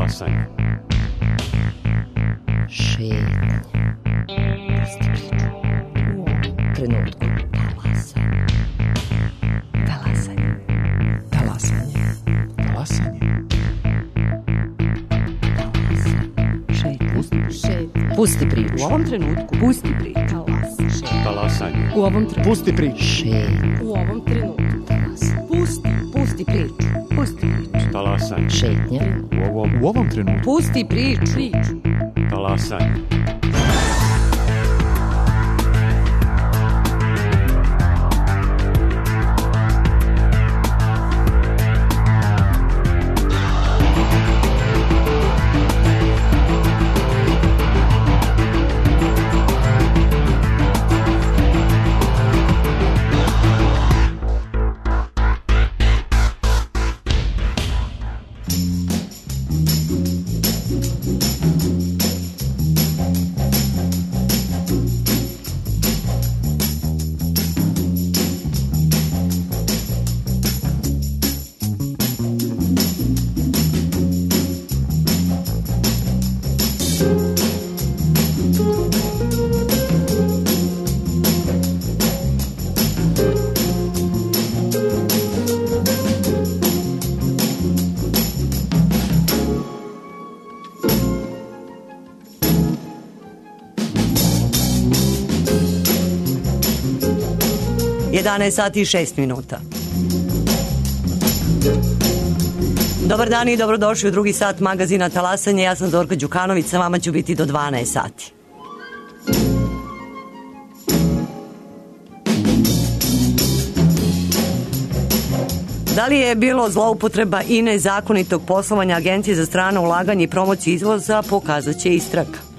Talasanje. Šetnje. Pusti priču. U ovom trenutku. Talasanje. Talasanje. Talasanje. Pusti priču. U ovom trenutku. Pusti priču. Talasanje. U ovom trenutku. Pusti priču. Šetnje. U ovom trenutku. Pusti priču. Pusti priču. Talasanje. Šetnje. U ovom trenutku. Pusti priču. Talasanje. Sati i 6 minuta. Dobar dan i dobrodošli u drugi sat magazina Talasanje. Ja sam Zorka Đukanović, sa vama ću biti do 12 sati. Da li je bilo zloupotreba i nezakonitog poslovanja Agencije za strano ulaganje i promociju izvoza, pokazat će istraga.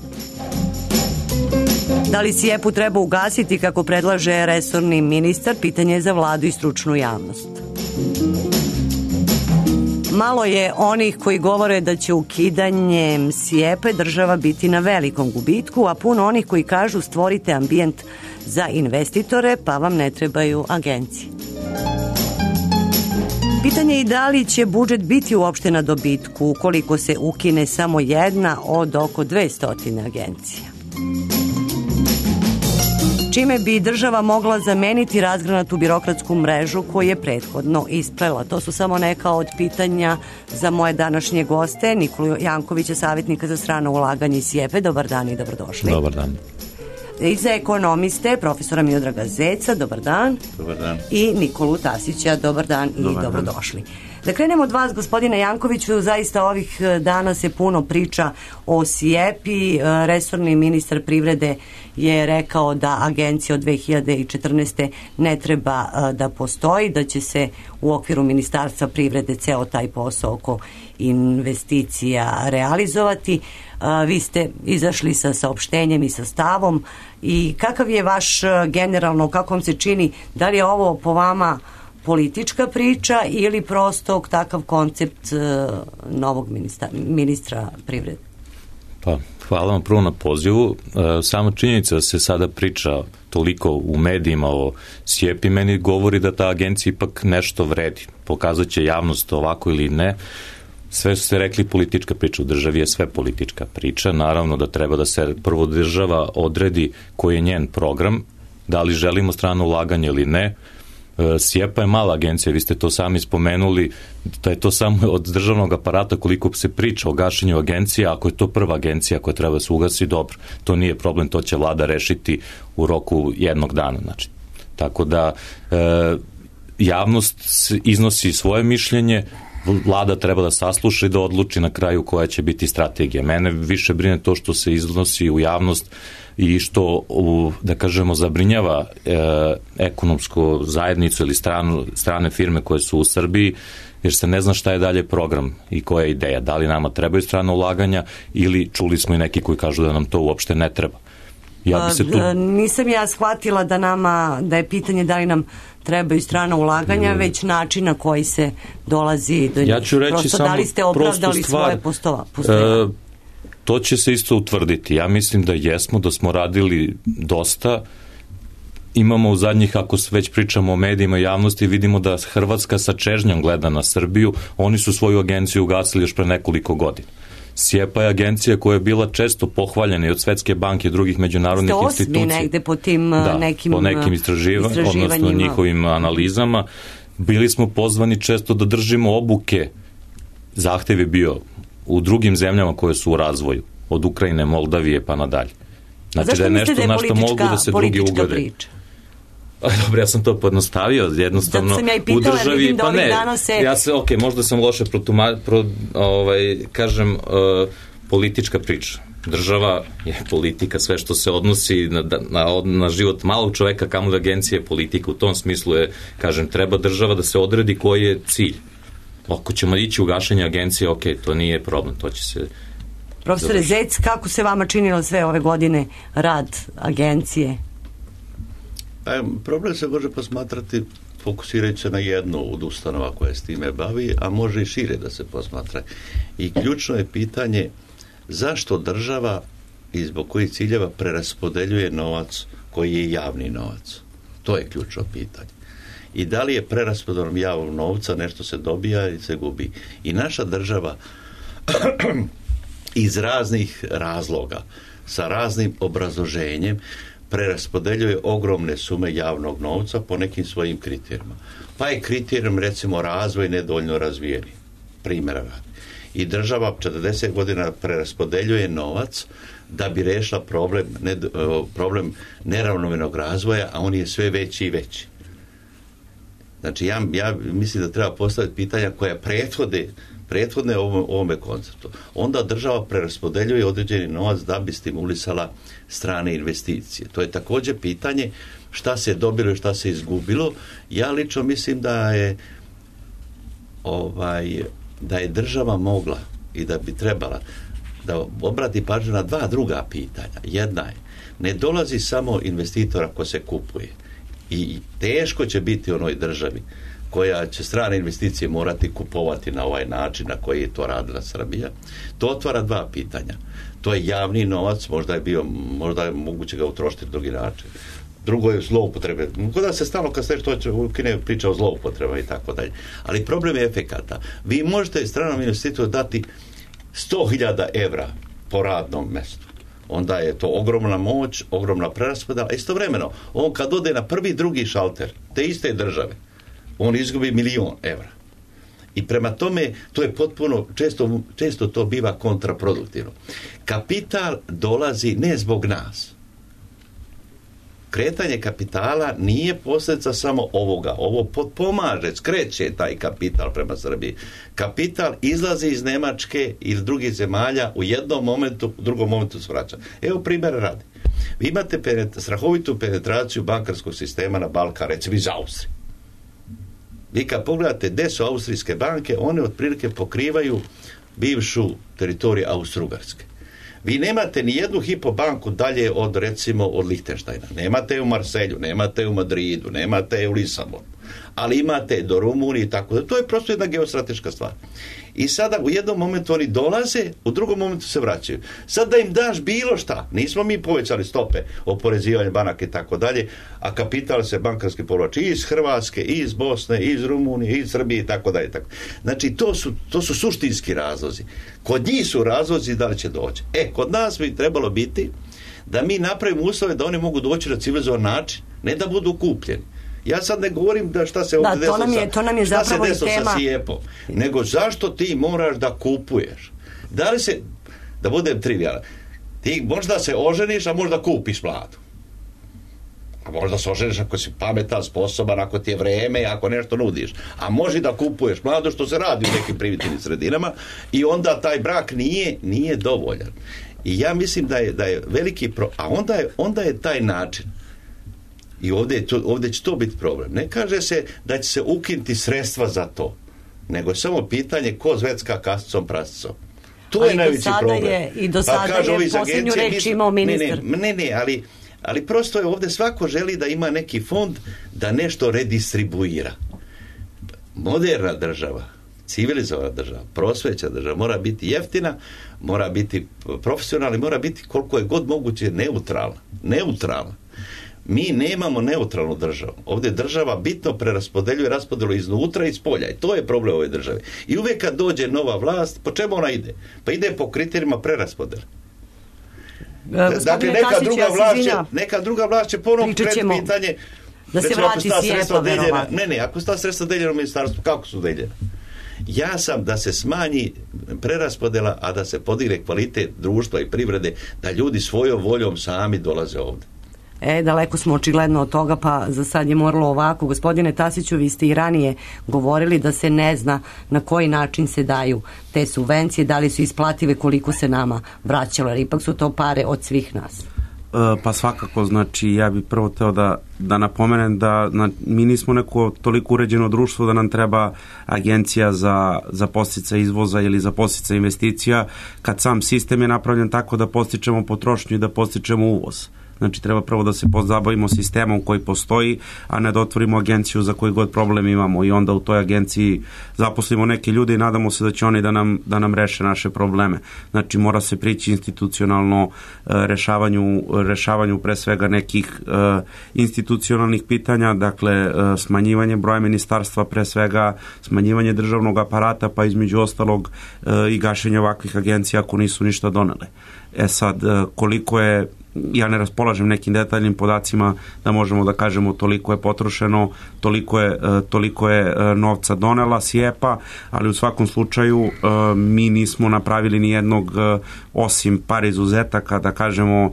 Da li SIEP-u treba ugasiti kako predlaže resorni ministar, pitanje je za vladu i stručnu javnost. Malo je onih koji govore da će ukidanjem SIEP-a država biti na velikom gubitku, a puno onih koji kažu stvorite ambijent za investitore pa vam ne trebaju agencije. Pitanje je i da li će budžet biti uopšte na dobitku ukoliko se ukine samo jedna od oko 200 agencija. Čime bi država mogla zameniti razgranatu birokratsku mrežu koju je prethodno isprela? To su samo neka od pitanja za moje današnje goste, Nikolu Jankovića, savjetnika za strano ulaganje iz SIEP-e. Dobar dan i dobrodošli. Dobar dan. I za ekonomiste, profesora Miodraga Zeca, dobar dan. Dobar dan. I Nikolu Tasića, dobar dan i dobrodošli. Da krenemo od vas, gospodine Jankoviću, zaista ovih dana se puno priča o SIEP-i. Resorni ministar privrede je rekao da agencija od 2014. ne treba da postoji, da će se u okviru Ministarstva privrede ceo taj posao oko investicija realizovati. Vi ste izašli sa saopštenjem i sa stavom i kakav je vaš generalno, kako vam se čini, da li je ovo po vama politička priča ili prosto takav koncept novog ministra privrede? Pa, hvala vam prvo na pozivu. Sama činjenica da se sada priča toliko u medijima o SIEP-i meni govori da ta agencija ipak nešto vredi. Pokazat će javnost ovako ili ne. Sve su se rekli politička priča, u državi je sve politička priča, naravno da treba da se prvo država odredi koji je njen program, da li želimo strano ulaganje ili ne. SIEP-a je mala agencija, vi ste to sami spomenuli, da je to samo od državnog aparata koliko se priča o gašenju agencija, ako je to prva agencija koja treba da se ugasi, dobro, to nije problem, to će vlada rešiti u roku jednog dana. Znači, tako da javnost iznosi svoje mišljenje, vlada treba da sasluša i da odluči na kraju koja će biti strategija. Mene više brine to što se iznosi u javnost i što, da kažemo, zabrinjava ekonomsku zajednicu ili strane firme koje su u Srbiji, jer se ne zna šta je dalje program i koja je ideja. Da li nama trebaju strana ulaganja ili čuli smo i neki koji kažu da nam to uopšte ne treba. Nisam ja shvatila da je pitanje da li nam trebaju strana ulaganja, već način na koji se dolazi do njih. Ja ću reći prosto samo da li ste opravdali svoje postojanje? To će se isto utvrditi. Ja mislim da jesmo, da smo radili dosta. Imamo u zadnjih, ako već pričamo o medijima i javnosti, vidimo da Hrvatska sa čežnjom gleda na Srbiju. Oni su svoju agenciju ugasili još pre nekoliko godina. SIEPA je agencija koja je bila često pohvaljena i od Svetske banke i drugih međunarodnih institucija. Ste negde po tim nekim po nekim istraživanjima, odnosno njihovim analizama. Bili smo pozvani često da držimo obuke. Zahtev je bio u drugim zemljama koje su u razvoju, od Ukrajine, Moldavije pa nadalje. Znači da je nešto na što mogu da se drugi ugode. Dobro, ja sam to pojednostavio, jednostavno u državi, pa ne, ja se, možda sam loše kažem, politička priča. Država je politika, sve što se odnosi na život malog čoveka, kamoli agencija je politika. U tom smislu je, kažem, treba država da se odredi koji je cilj. Ako ćemo ići u gašenje agencije, to nije problem, to će se... Profesore Zec, kako se vama činilo sve ove godine rad agencije? Problem se može posmatrati fokusirajući se na jednu od ustanova koja s time bavi, a može i šire da se posmatra. I ključno je pitanje zašto država i zbog kojih ciljeva preraspodeljuje novac koji je javni novac. To je ključno pitanje. I da li je preraspodelom javnog novca nešto se dobija ili se gubi. I naša država iz raznih razloga, sa raznim obrazloženjem, preraspodeljuje ogromne sume javnog novca po nekim svojim kriterijima. Pa je kriterijum, recimo, razvoj nedovoljno razvijeni. Primjera radi. I država 40 godina preraspodeljuje novac da bi rešila problem neravnomernog razvoja, a on je sve veći i veći. Znači, ja mislim da treba postaviti pitanja koja prethodne ovome konceptu. Onda država preraspodeljuje određeni novac da bi stimulisala strane investicije. To je također pitanje šta se dobilo i šta se izgubilo. Ja lično mislim da je država mogla i da bi trebala da obrati pažnju na dva druga pitanja. Jedna je, ne dolazi samo investitor ako se kupuje. I teško će biti u onoj državi koja će strane investicije morati kupovati na ovaj način na koji je to radila Srbija. To otvara dva pitanja. To je javni novac, možda je moguće ga utrošiti na drugi način. Drugo je zloupotrebe. Kada se stalno kad se nešto priča o zloupotrebama i tako dalje. Ali problem je efekata. Vi možete stranom investitoru dati 100.000 evra po radnom mestu. Onda je to ogromna moć, ogromna preraspodela. Istovremeno, on kad ode na prvi, drugi šalter te iste države, on izgubi 1.000.000 evra. I prema tome, to je potpuno, često to biva kontraproduktivno. Kapital dolazi ne zbog nas. Kretanje kapitala nije posljedica samo ovoga. Ovo potpomaže, skreće taj kapital prema Srbiji. Kapital izlazi iz Nemačke ili drugih zemalja u jednom momentu, u drugom momentu se vraća. Evo primjera radi. Vi imate strahovitu penetraciju bankarskog sistema na Balkan, recimo iz Austrije. Vi kad pogledate gde su austrijske banke, one otprilike pokrivaju bivšu teritoriju Austro-Ugarske. Vi nemate ni jednu hipobanku dalje od, recimo, od Lihtenštajna. Nemate je u Marselju, nemate je u Madridu, nemate je u Lisabonu. Ali imate do Rumunije i tako da. To je prosto jedna geostrateška stvar. I sada u jednom momentu oni dolaze, u drugom momentu se vraćaju. Sad da im daš bilo šta, nismo mi povećali stope oporezivanja banaka i tako dalje, a kapital se bankarski povlači iz Hrvatske, iz Bosne, iz Rumunije, iz Srbije i tako dalje. Znači to su suštinski razlozi. Kod njih su razlozi da li će doći. Kod nas bi trebalo biti da mi napravimo uslove da oni mogu doći na civilizovan način, ne da budu kupljeni. Ja sad ne govorim da šta se ovdje desilo sa SIEPom, nego zašto ti moraš da kupuješ. Da li se, da budem trivijalan, ti možda se oženiš, a možda kupiš mladu. A možda se oženiš ako si pametan, sposoban, ako ti je vreme, ako nešto nudiš. A može da kupuješ mladu, što se radi u nekim primitivnim sredinama, i onda taj brak nije dovoljan. I ja mislim da je veliki a onda je taj način. I ovdje će to biti problem. Ne kaže se da će se ukinuti sredstva za to, nego je samo pitanje ko zvecka kasicom prasicom. To je najveći problem. I do sada je posljednju reč imao ministar. Ali prosto je ovdje svako želi da ima neki fond da nešto redistribuira. Moderna država, civilizovana država, prosvećena država mora biti jeftina, mora biti profesionalna, mora biti koliko je god moguće neutralna. Mi nemamo neutralnu državu. Ovdje država bitno preraspodeljuje raspodelu iznutra i iz polja. I to je problem ove države. I uvijek kad dođe nova vlast, po čemu ona ide? Pa ide po kriterijima preraspodele. Dakle, neka druga vlast će ponovno pred pitanje da se vrati SIEPA, verovatno. Ne, ako su ta sredstva deljena u ministarstvu, kako su deljena? Ja sam da se smanji preraspodela, a da se podigne kvalitet društva i privrede, da ljudi svojom voljom sami dolaze ovdje. Daleko smo očigledno od toga, pa za sad je moralo ovako. Gospodine Tasiću, vi ste i ranije govorili da se ne zna na koji način se daju te subvencije, da li su isplative, koliko se nama vraćalo, jer ipak su to pare od svih nas. Pa svakako, znači ja bih prvo teo da napomenem da mi nismo neko toliko uređeno društvo da nam treba agencija za podsticaj izvoza ili za podsticaj investicija, kad sam sistem je napravljen tako da podstičemo potrošnju i da podstičemo uvoz. Znači treba prvo da se pozabavimo sistemom koji postoji, a ne da otvorimo agenciju za koji god problem imamo i onda u toj agenciji zaposlimo neke ljude i nadamo se da će oni da nam reše naše probleme. Znači mora se prići institucionalno rešavanju pre svega nekih institucionalnih pitanja, dakle smanjivanje broja ministarstva, pre svega smanjivanje državnog aparata, pa između ostalog i gašenje ovakvih agencija ako nisu ništa donele. Sad, koliko je, raspolažem nekim detaljnim podacima da možemo da kažemo toliko je potrošeno, toliko je novca donela SIEPA, ali u svakom slučaju mi nismo napravili ni jednog, osim par izuzetaka, da kažemo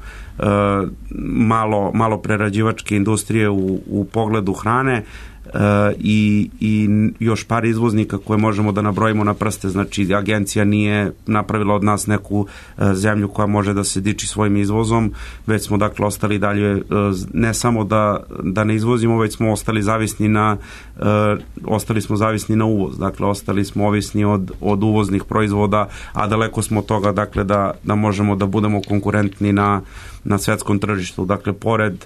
malo prerađivačke industrije u pogledu hrane, i još par izvoznika koje možemo da nabrojimo na prste. Znači agencija nije napravila od nas neku zemlju koja može da se diči svojim izvozom, već smo dakle ostali dalje, ne samo da ne izvozimo, već smo ostali zavisni na uvoz, dakle ostali smo ovisni od uvoznih proizvoda, a daleko smo od toga dakle da možemo da budemo konkurentni na svetskom tržištu. Dakle, pored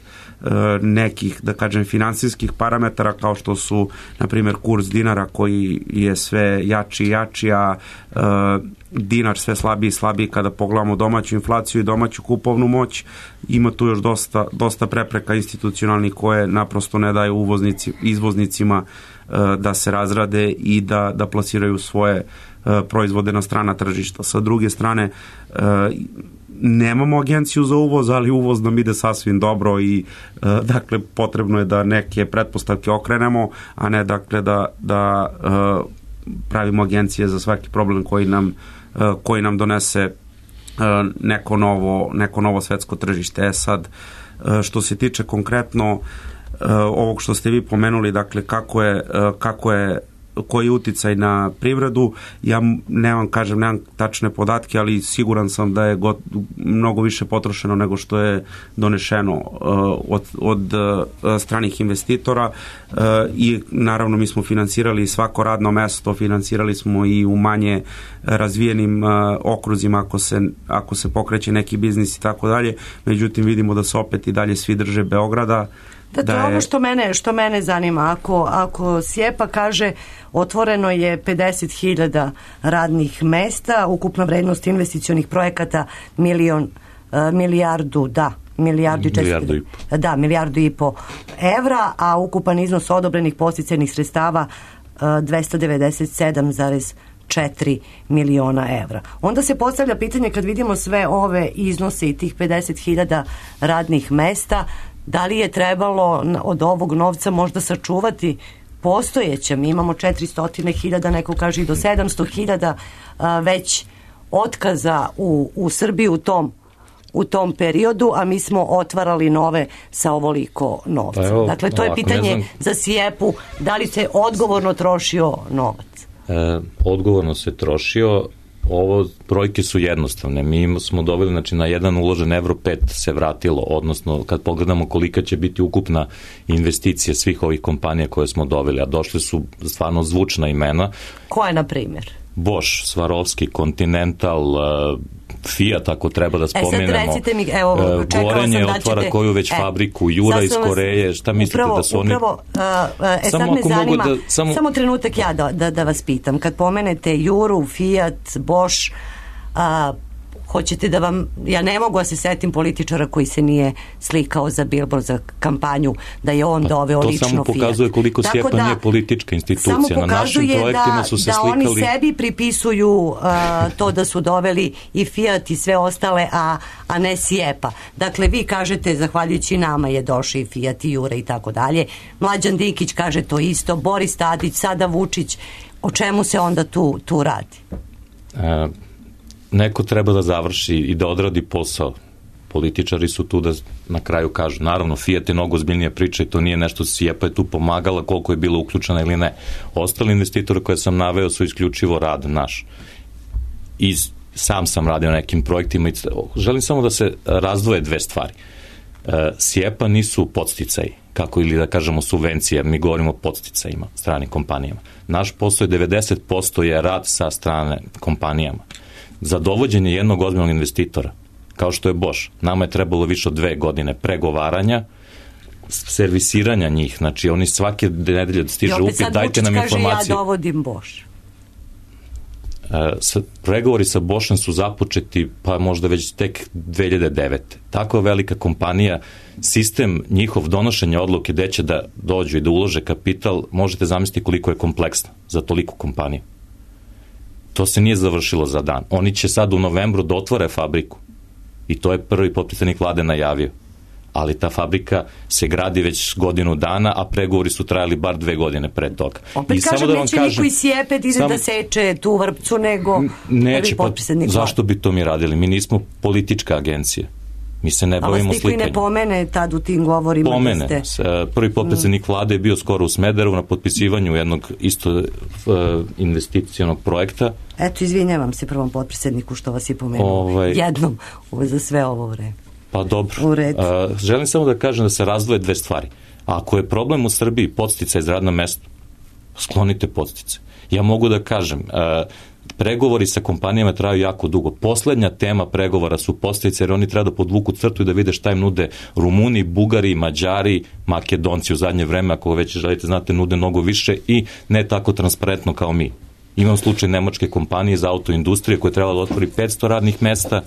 nekih, da kažem, finansijskih parametara kao što su, na primjer, kurs dinara koji je sve jači i jači, a dinar sve slabiji i slabiji kada pogledamo domaću inflaciju i domaću kupovnu moć, ima tu još dosta prepreka institucionalnih koje naprosto ne daju izvoznicima da se razrade i da plasiraju svoje proizvode na strana tržišta. Sa druge strane, nemamo agenciju za uvoz, ali uvoz nam ide sasvim dobro i dakle potrebno je da neke pretpostavke okrenemo, a ne dakle da pravimo agencije za svaki problem koji nam donese neko novo svetsko tržište. Sad, što se tiče konkretno ovog što ste vi pomenuli, dakle koji je uticaj na privredu, ja nemam tačne podatke, ali siguran sam da je mnogo više potrošeno nego što je donešeno od stranih investitora i naravno mi smo finansirali svako radno mesto, finansirali smo i u manje razvijenim okruzima ako se pokreće neki biznis i tako dalje, međutim vidimo da se opet i dalje svi drže Beograda. To je ono što mene zanima. Ako SIEPA kaže otvoreno je 50.000 radnih mesta, ukupna vrednost investicionih projekata milijardu i po evra, a ukupan iznos odobrenih podsticajnih sredstava 297,4 miliona evra. Onda se postavlja pitanje, kad vidimo sve ove iznose i tih 50.000 radnih mesta, da li je trebalo od ovog novca možda sačuvati postojeće? Mi imamo 400.000, neko kaže i do 700.000 već otkaza u Srbiji u tom periodu, a mi smo otvarali nove sa ovoliko novca. Dakle, to je pitanje za SIEPU, da li se odgovorno trošio novac? Odgovorno se trošio. Ovo brojke su jednostavne. Mi smo dobili, znači na jedan uložen evro 5 se vratilo, odnosno kad pogledamo kolika će biti ukupna investicija svih ovih kompanija koje smo dobili, a došle su stvarno zvučna imena. Koja je, na primjer? Bosch, Swarovski, Continental, Fiat, ako treba da spomenemo. Sad recite mi, Gorenje otvara koju već fabriku, Jura iz Koreje, šta mislite da su oni... Sad me zanima, samo trenutak ja da vas pitam. Kad pomenete Juru, Fiat, Bosch, hoćete da vam, ja ne mogu da se setim političara koji se nije slikao za billboard, za kampanju, da je on doveo lično Fiat. To samo pokazuje koliko SIEPA nije politička institucija. Samo na našim projektima su se slikali. Oni sebi pripisuju to da su doveli i Fiat i sve ostale, a ne SIEPA. Dakle, vi kažete, zahvaljujući nama je došao i Fiat i Jure i tako dalje. Mlađan Dinkić kaže to isto, Boris Tadić, sada Vučić. O čemu se onda tu radi? Neko treba da završi i da odradi posao. Političari su tu da na kraju kažu. Naravno, Fiat je mnogo ozbiljnija priča i to nije nešto, SIEPA je tu pomagala koliko je bilo uključena ili ne. Ostali investitori koje sam naveo su isključivo rad naš. I sam sam radio na nekim projektima. Želim samo da se razdvoje dve stvari. SIEPA nisu podsticaji, kako ili da kažemo subvencije, mi govorimo o podsticajima stranim kompanijama. Naš posao je 90% je rad sa strane kompanijama. Za dovođenje jednog ozbiljnog investitora, kao što je Bosch, nama je trebalo više od 2 godine pregovaranja, servisiranja njih, znači oni svake nedelje stiže upit, dajte nam informacije. I opet sad Vučić kaže ja dovodim Bosch. Pregovori sa Boschom su započeti pa možda već tek 2009. Tako velika kompanija, sistem njihov donošenja odluke gde će da dođu i da ulože kapital, možete zamisliti koliko je kompleksno za toliku kompaniju. To se nije završilo za dan. Oni će sad u novembru da otvore fabriku i to je prvi potpredsednik vlade najavio. Ali ta fabrika se gradi već godinu dana, a pregovori su trajali bar 2 godine pre toga. Opet kažem, neće niko iz SIEPA ide da seče tu vrpcu, nego prvi potpredsednik vlade. Zašto bi to mi radili? Mi nismo politička agencija. Mi se ne bavimo slikanjem. Ali ne pomene tad u tim govorima? Pomene. Prvi potpredsednik vlade je bio skoro u Smederevu na potpisivanju jednog isto investicionog projekta. Eto, izvinjavam se prvom potpredsedniku što vas je pomenuo. Jednom za sve ovo vreme. Pa dobro. Želim samo da kažem da se razdvoje dve stvari. Ako je problem u Srbiji podsticaj za radno mesto, sklonite podstice. Ja mogu da kažem, pregovori sa kompanijama traju jako dugo. Poslednja tema pregovora su podstice, jer oni treba da podvuku crtu i da vide šta im nude Rumuni, Bugari, Mađari, Makedonci u zadnje vreme, ako već želite znate, nude mnogo više i ne tako transparentno kao mi. Imam slučaj nemačke kompanije za autoindustrije koje treba da otvori 500 radnih mesta,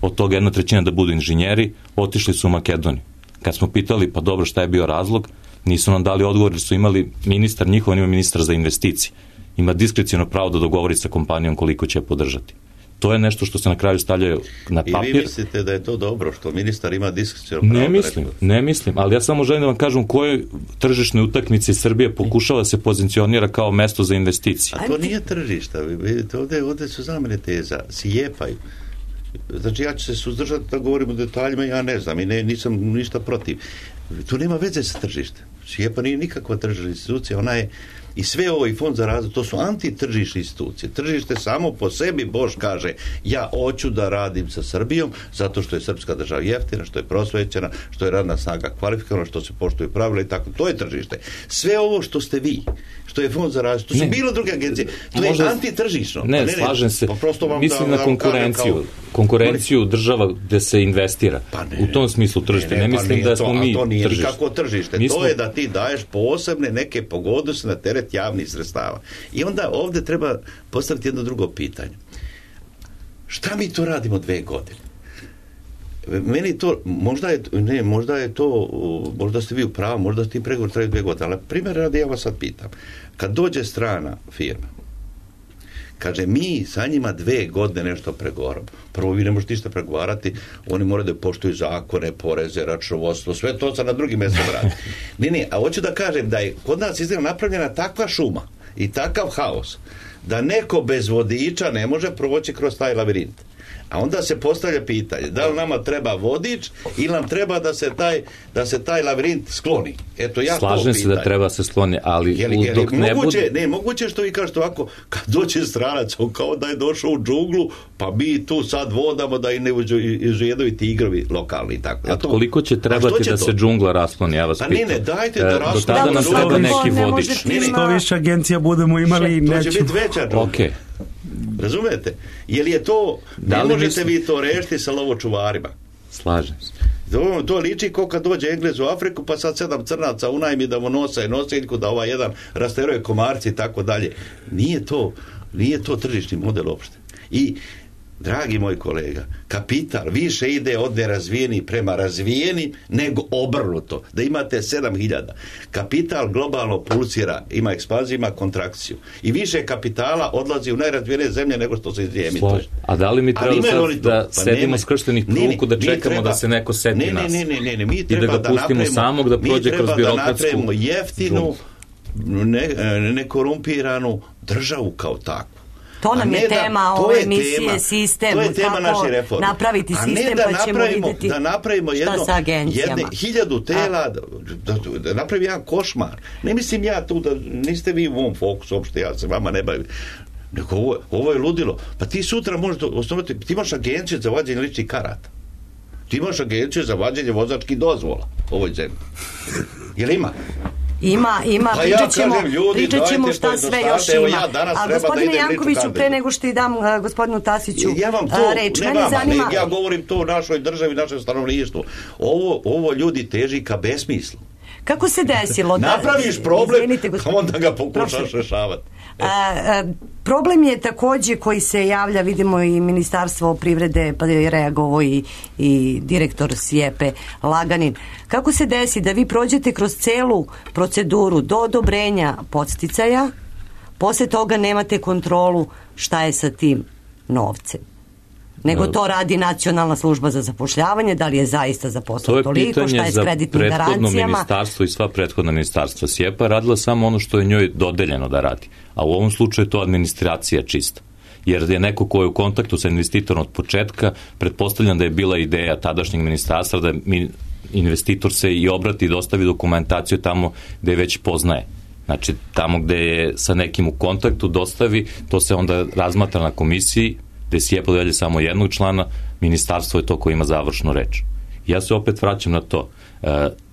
od toga 1/3 da budu inženjeri, otišli su u Makedoniju. Kad smo pitali, pa dobro, šta je bio razlog, nisu nam dali odgovor, jer su imali ministar, njihov ima ministar za investicije. Ima diskreciono pravo da dogovori sa kompanijom koliko će podržati. To je nešto što se na kraju stavljaju na papir. I vi mislite da je to dobro, što ministar ima diskreciono pravo? Ne mislim, ali ja samo želim da vam kažem kojoj tržišnoj utakmici Srbije pokušava da se pozicionira kao mesto za investicije. A to nije tržišta, vidite, ovde su zamene teza, SIEPA-ju. Znači, ja ću se suzdržati da govorim o detaljima, ja ne znam i nisam ništa protiv. To nema veze sa tržištem. SIEPA nije nikakva tržišna institucija, ona je i sve ovo i fond za razvoj, to su antitržišne institucije. Tržište samo po sebi, Bož kaže, ja hoću da radim sa Srbijom, zato što je srpska država jeftina, što je prosvećena, što je radna snaga kvalifikovana, što se poštuju pravila i tako. To je tržište. Sve ovo što ste vi, što je fond za razvoj, to su bilo druge agencije. To je antitržišno. Ne, slažem se. Mislim na konkurenciju. Konkurenciju država gde se investira. U tom smislu tržište. Ne mislim da smo mi tržište. To nije nikako tržište. To je da ti daješ posebne neke pogodnosti na teret javnih sredstava. I onda ovde treba postaviti jedno drugo pitanje. Šta mi to radimo 2 godine? Meni to, možda ste vi u pravu, možda ti pregovor traju 2 godine, ali primjer radi, ja vas sad pitam. Kad dođe strana firma, kaže, mi sa njima 2 godine nešto pregovaramo. Prvo, vi ne možete ništa pregovarati, oni moraju da poštuju zakone, poreze, računovodstvo, sve to se na drugim mjestom radi. Ne, a hoću da kažem da je kod nas izgleda napravljena takva šuma i takav haos, da neko bez vodiča ne može proći kroz taj lavirint. A onda se postavlja pitanje, da li nama treba vodič ili nam treba da se taj lavirint skloni. Eto, ja slažem se da treba se skloni, ali dok ne bude... Ne, moguće što vi kažete ovako, kad dođe stranac, on kao da je došao u džunglu, pa mi tu sad vodamo da i ne uđu i tigrovi lokalni i tako. Koliko će trebati da se džungla raskloni, ja vas pitam. Pa ne, dajte da raskloni. Do tada nam treba neki vodič. Što više agencija budemo imali, to će biti veća džungla. Okej. Razumete? Je li je to, ne možete vi to rešiti sa lovočuvarima? Slažem se. To liči kao kad dođe Englez u Afriku, pa sad 7 crnaca unajmi da mu nose nosiljku, da ovaj jedan rasteruje komarci i tako dalje. Nije to tržišni model uopšte. I dragi moj kolega, kapital više ide od nerazvijenih prema razvijeni nego obrnuto. Da imate 7.000. Kapital globalno pulsira, ima ekspanziju, ima kontrakciju. I više kapitala odlazi u najrazvijenije zemlje nego što se emituje. A da li mi treba sad da sedimo skrštenih ruku da čekamo da se neko seti nas? Ne, mi i treba da ga pustimo samog da prođe kroz birokratsku napravimo jeftinu, nekorumpiranu državu kao takvu. To nam je tema ove emisije, sistem, kako napraviti sistem, pa ćemo vidjeti šta sa agencijama. 1000 tela, da napravi jedan košmar. Ne mislim ja tu, da niste vi u ovom fokusu, uopšte ja se vama ne bavim. Ovo je ludilo. Pa ti sutra možeš osnovati, ti imaš agenciju za vađenje ličnih karata. Ti imaš agenciju za vađenje vozačkih dozvola u ovoj zemlji. Jel ima? Ima, pričat ćemo šta sve još ima. A gospodine Jankoviću, pre nego što i dam gospodinu Tasiću reč, mene zanima... Ja govorim to u našoj državi, našem stanovništvu. Ovo ljudi teži ka besmislu. Kako se desilo da... Napraviš problem, onda ga pokušaš rešavati. Problem je takođe koji se javlja, vidimo i Ministarstvo privrede, pa je reagovao i direktor SIEPE Laganin. Kako se desi da vi prođete kroz celu proceduru do odobrenja podsticaja, posle toga nemate kontrolu šta je sa tim novcem? Nego to radi Nacionalna služba za zapošljavanje, da li je zaista zaposleno toliko, šta je s kreditnim garancijama? To je pitanje za prethodno ministarstvo i sva prethodna ministarstva. SIEPA radila samo ono što je njoj dodeljeno da radi, a u ovom slučaju je to administracija čista. Jer je neko ko je u kontaktu sa investitorom od početka, pretpostavljam da je bila ideja tadašnjeg ministarstva da investitor se i obrati i dostavi dokumentaciju tamo gde već poznaje. Znači, tamo gde je sa nekim u kontaktu dostavi, to se onda razmatra na komisiji, gde SIEPA dodelje samo jednog člana, ministarstvo je to koje ima završnu reč. Ja se opet vraćam na to.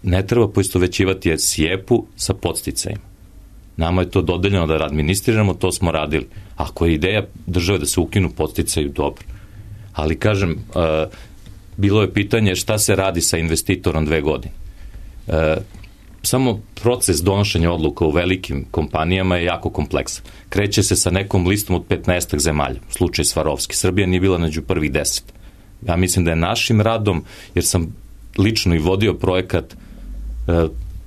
Ne treba poistovećivati SIEPA-u sa podsticajima. Nama je to dodeljeno da administriramo, to smo radili. Ako je ideja države da se ukinu podsticaju, dobro. Ali kažem, bilo je pitanje šta se radi sa investitorom 2 godine. Samo proces donošenja odluka u velikim kompanijama je jako kompleksan. Kreće se sa nekom listom od 15 zemalja, slučaj Svarovski. Srbija nije bila među prvih 10. Ja mislim da je našim radom, jer sam lično i vodio projekat,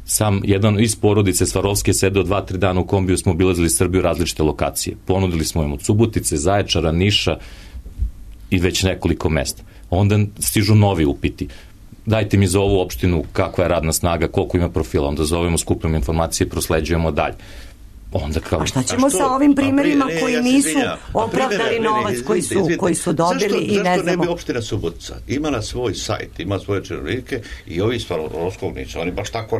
sam jedan iz porodice Svarovske sedeo 2-3 dana u kombiju, smo obilazili Srbiju različite lokacije. Ponudili smo im od Subotice, Zaječara, Niša i već nekoliko mesta. Onda stižu novi upiti. Dajte mi za ovu opštinu kakva je radna snaga, koliko ima profila, onda zovemo, skupljamo informacije, prosleđujemo dalje. Onda kao... A šta ćemo sa ovim primjerima koji nisu opravdali novac koji su dobili i ne znamo? Zašto ne bi opština Subotica imala svoj sajt, ima svoje činovnike i ovi Svarovskovnici, oni baš tako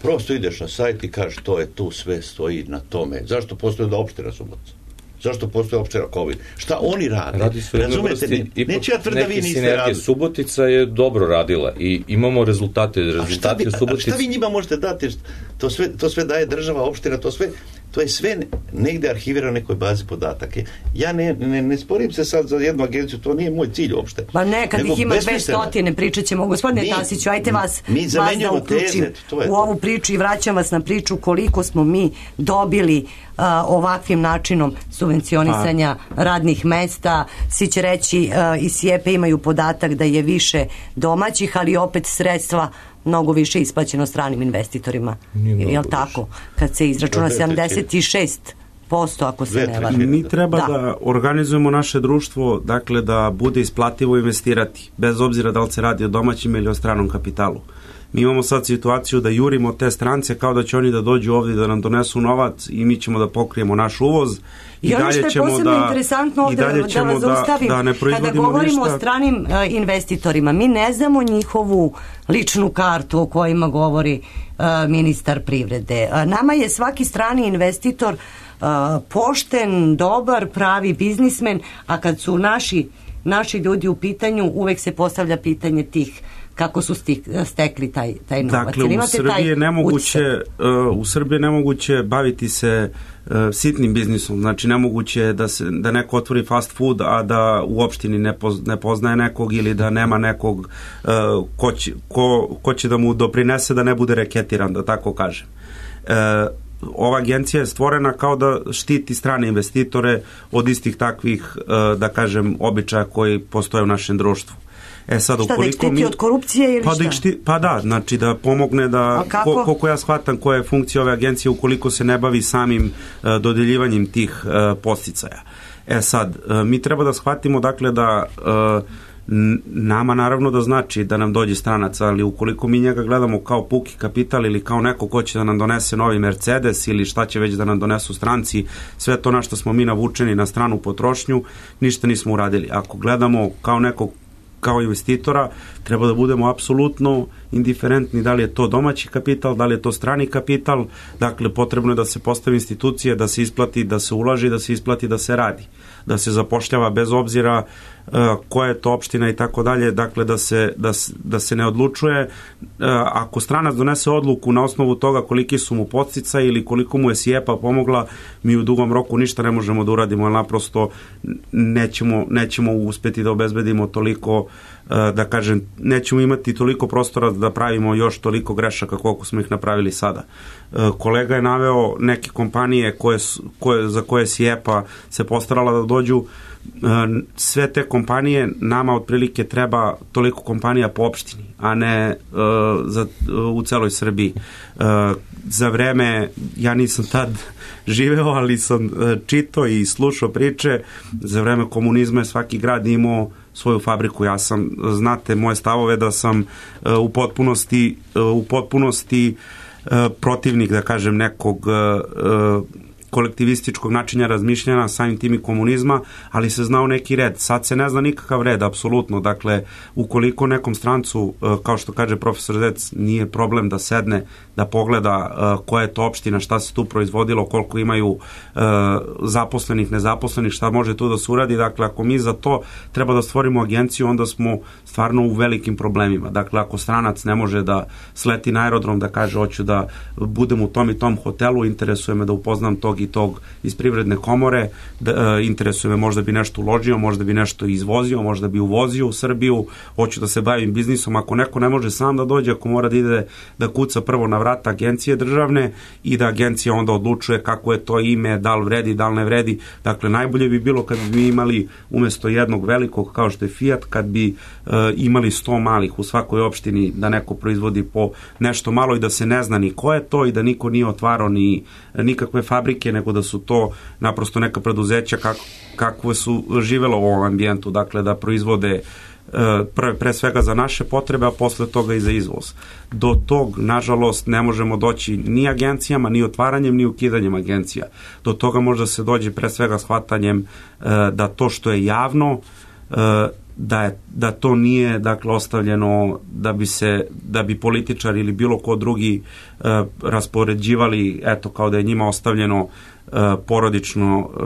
prosto ideš na sajt i kažeš to je tu, sve stoji na tome. Zašto postoji da opština Subotica? Zašto postoje opština COVID? Šta oni rade? Razumete? Neće ja tvrda vi niste radili. Subotica je dobro radila i imamo rezultate. Šta vi njima možete dati? To sve daje država, opština, to je sve negde arhivirano u nekoj bazi podataka. Ja ne sporim se sad za jednu agenciju, to nije moj cilj uopšte. Pa ne, kad ih ima 200, pričat ćemo. Gospodine Tasiću, ajte vas da uključim u ovu priču i vraćam vas na priču koliko smo mi dobili ovakvim načinom subvencionisanja radnih mesta. Svi će reći i SIEPA imaju podatak da je više domaćih, ali opet sredstva mnogo više isplaćeno stranim investitorima. Je li tako? Kad se izračuna 76%, ako se ne varam. Mi treba da organizujemo naše društvo, dakle da bude isplativo investirati, bez obzira da li se radi o domaćim ili o stranom kapitalu. Mi imamo sad situaciju da jurimo te strance kao da će oni da dođu ovdje da nam donesu novac i mi ćemo da pokrijemo naš uvoz i ono što je posebno interesantno ovdje da vas zaustavim, kada govorimo o stranim investitorima, mi ne znamo njihovu ličnu kartu o kojima govori ministar privrede. Nama je svaki strani investitor pošten, dobar, pravi biznismen, a kad su naši ljudi u pitanju, uvek se postavlja pitanje tih kako su stekli taj novac. Dakle, u Srbiji je nemoguće baviti se sitnim biznisom. Znači, nemoguće je da neko otvori fast food, a da u opštini ne poznaje nekog ili da nema nekog ko će da mu doprinese da ne bude reketiran, da tako kažem. ova agencija je stvorena kao da štiti strane investitore od istih takvih, da kažem, običaja koji postoje u našem društvu. Sad, šta, da ih štiti od korupcije ili šta? Pa da, znači da pomogne da, koliko ja shvatam koja je funkcija ove agencije ukoliko se ne bavi samim dodeljivanjem tih podsticaja. Sad, mi treba da shvatimo dakle da nama naravno da znači da nam dođe stranac, ali ukoliko mi njega gledamo kao puki kapital ili kao neko ko će da nam donese novi Mercedes ili šta će već da nam donesu stranci, sve to na što smo mi navučeni na stranu potrošnju, ništa nismo uradili. Ako gledamo kao nekog kao investitora, treba da budemo apsolutno indiferentni da li je to domaći kapital, da li je to strani kapital, dakle potrebno je da se postavi institucije, da se isplati, da se ulaži, da se isplati, da se radi, da se zapošljava bez obzira koja je to opština i tako dalje, dakle da se ne odlučuje, ako stranac donese odluku na osnovu toga koliki su mu podsticaji ili koliko mu je SIEPA pomogla, mi u dugom roku ništa ne možemo da uradimo, jer naprosto nećemo uspeti da obezbedimo toliko, da kažem, nećemo imati toliko prostora da pravimo još toliko grešaka koliko smo ih napravili sada. Kolega je naveo neke kompanije za koje SIEPA se postarala da dođu. Sve te kompanije, nama otprilike treba toliko kompanija po opštini, a ne u celoj Srbiji. Za vreme, ja nisam tad živeo, ali sam čitao i slušao priče, za vreme komunizma je svaki grad imao svoju fabriku. Ja sam, znate moje stavove da sam u potpunosti protivnik, da kažem, nekog kolektivističkog načina razmišljanja, samim tim i komunizma, ali se znao neki red. Sad se ne zna nikakav red, apsolutno. Dakle, ukoliko nekom strancu, kao što kaže profesor Zec, nije problem da sedne, da pogleda koja je to opština, šta se tu proizvodilo, koliko imaju zaposlenih, nezaposlenih, šta može tu da se uradi. Dakle, ako mi za to treba da stvorimo agenciju, onda smo stvarno u velikim problemima. Dakle, ako stranac ne može da sleti na aerodrom, da kaže hoću da budem u tom i tom hotelu, interesuje me da upoznam tog i tog iz Privredne komore, interesuje me, možda bi nešto uložio, možda bi nešto izvozio, možda bi uvozio u Srbiju, hoću da se bavim biznisom. Ako neko ne može sam da dođe, ako mora da ide da kuca prvo na vrata agencije državne i da agencija onda odlučuje kako je to ime, da li vredi, da li ne vredi. Dakle, najbolje bi bilo kad bi mi imali umesto jednog velikog kao što je Fiat, kad bi imali 100 malih u svakoj opštini, da neko proizvodi po nešto malo i da se ne zna ni ko je to i da niko nije otvarao ni nikakve fabrike, nego da su to naprosto neka preduzeća kakve su živelo u ovom ambijentu, dakle da proizvode pre svega za naše potrebe, a posle toga i za izvoz. Do tog, nažalost, ne možemo doći ni agencijama, ni otvaranjem, ni ukidanjem agencija. Do toga može se dođe pre svega shvatanjem da to što je javno, da to nije, dakle, ostavljeno da bi političar ili bilo ko drugi raspoređivali, eto, kao da je njima ostavljeno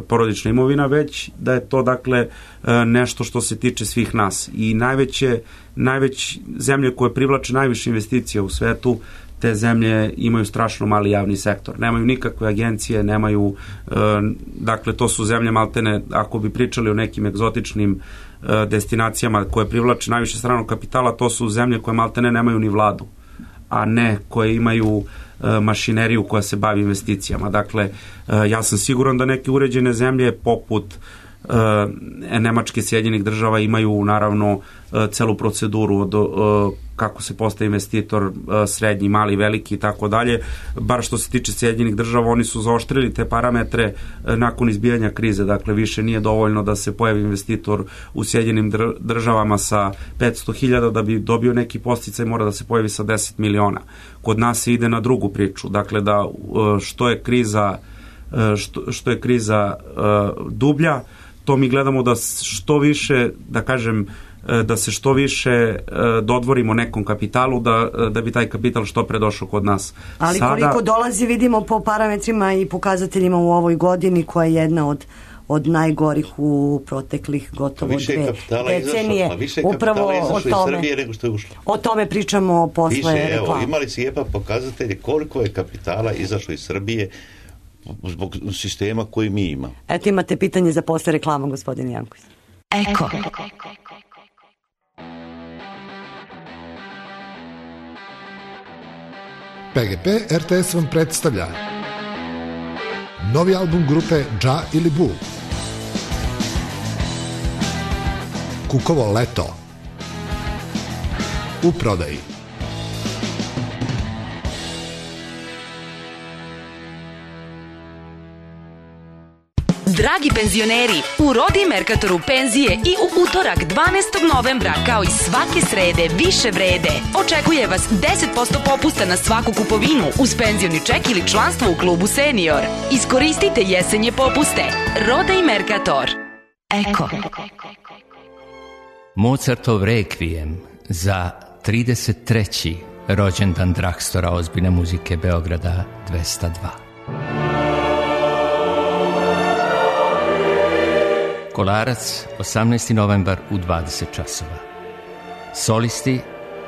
porodična imovina, već da je to, dakle, nešto što se tiče svih nas. I najveće zemlje koje privlače najviše investicija u svetu, te zemlje imaju strašno mali javni sektor. Nemaju nikakve agencije, nemaju, dakle, to su zemlje maltene, ako bi pričali o nekim egzotičnim destinacijama koje privlače najviše stranog kapitala, to su zemlje koje maltene nemaju ni vladu, a ne koje imaju mašineriju koja se bavi investicijama. Dakle, ja sam siguran da neke uređene zemlje poput Nemačke, Sjedinjenih država imaju naravno celu proceduru od kako se postaje investitor, srednji, mali, veliki i tako dalje. Bar što se tiče Sjedinjenih država, oni su zaoštrili te parametre nakon izbijanja krize. Dakle, više nije dovoljno da se pojavi investitor u Sjedinjenim državama sa 500.000 da bi dobio neki podsticaj, mora da se pojavi sa 10 miliona. Kod nas se ide na drugu priču. Dakle, da što je kriza dublja, to mi gledamo da što više, da kažem, da se što više dodvorimo nekom kapitalu, da bi taj kapital što pre došao kod nas. Ali koliko dolazi, vidimo po parametrima i pokazateljima u ovoj godini, koja je jedna od najgorih u proteklih gotovo 2 decenije. Više kapitala izašlo iz Srbije nego što je ušlo. O tome pričamo posle reklama. Evo, imali SIEPA pokazatelje koliko je kapitala izašlo iz Srbije zbog sistema koji mi imamo. Eto, imate pitanje za posle reklama, gospodin Janković. Eko. PGP RTS vam predstavlja Novi album grupe Dža ili Bu. Kukovo leto. U prodaji. Dragi penzioneri, u Rodi Merkatoru penzije i u utorak 12. novembra, kao i svake srede, više vrede. Očekuje vas 10% popusta na svaku kupovinu uz penzioni ček ili članstvo u klubu Senior. Iskoristite jesenje popuste. Roda i Merkator. Eko. Mozartov rekvijem za 33. rođendan Drakstora ozbiljne muzike Beograda 202. Kolarac, 18. novembar u 20 časova. Solisti,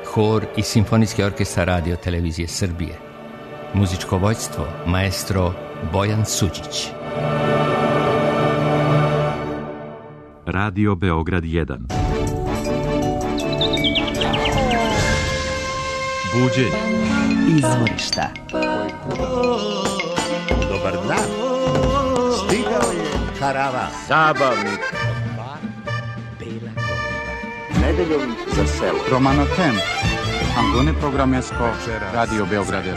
hor i simfonijski orkestar Radio Televizije Srbije. Muzičko vođstvo, maestro Bojan Suđić. Radio Beograd 1. Buđenje. Izvorišta. Dobar dan. Stigao je karavan. Zabavnik. Bela Goriva. Nedeljom za selo. Romano Ten. Angone Programesko. Radio Beograd 1.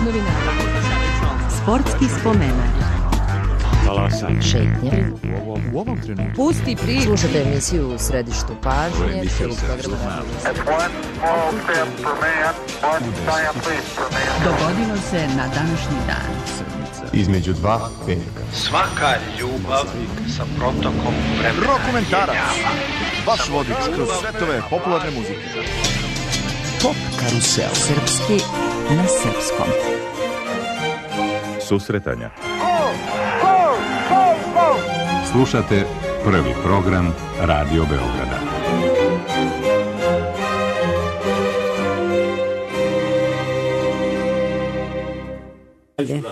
Novinara. Sportski spomenak. Talasanje. Šetnje. U ovom trenutku. Pusti priču. Slušajte emisiju u središtu pažnje. Dogodilo se na današnji dan. Između dva veka. Svaka ljubav sa protokom vremena. Rokomentarac. Vaš vodič kroz svetove popularne muzike. Pop karusel. Srpski na srpskom. Susretanja. Slušate prvi program Radio Beograda. Ovdje.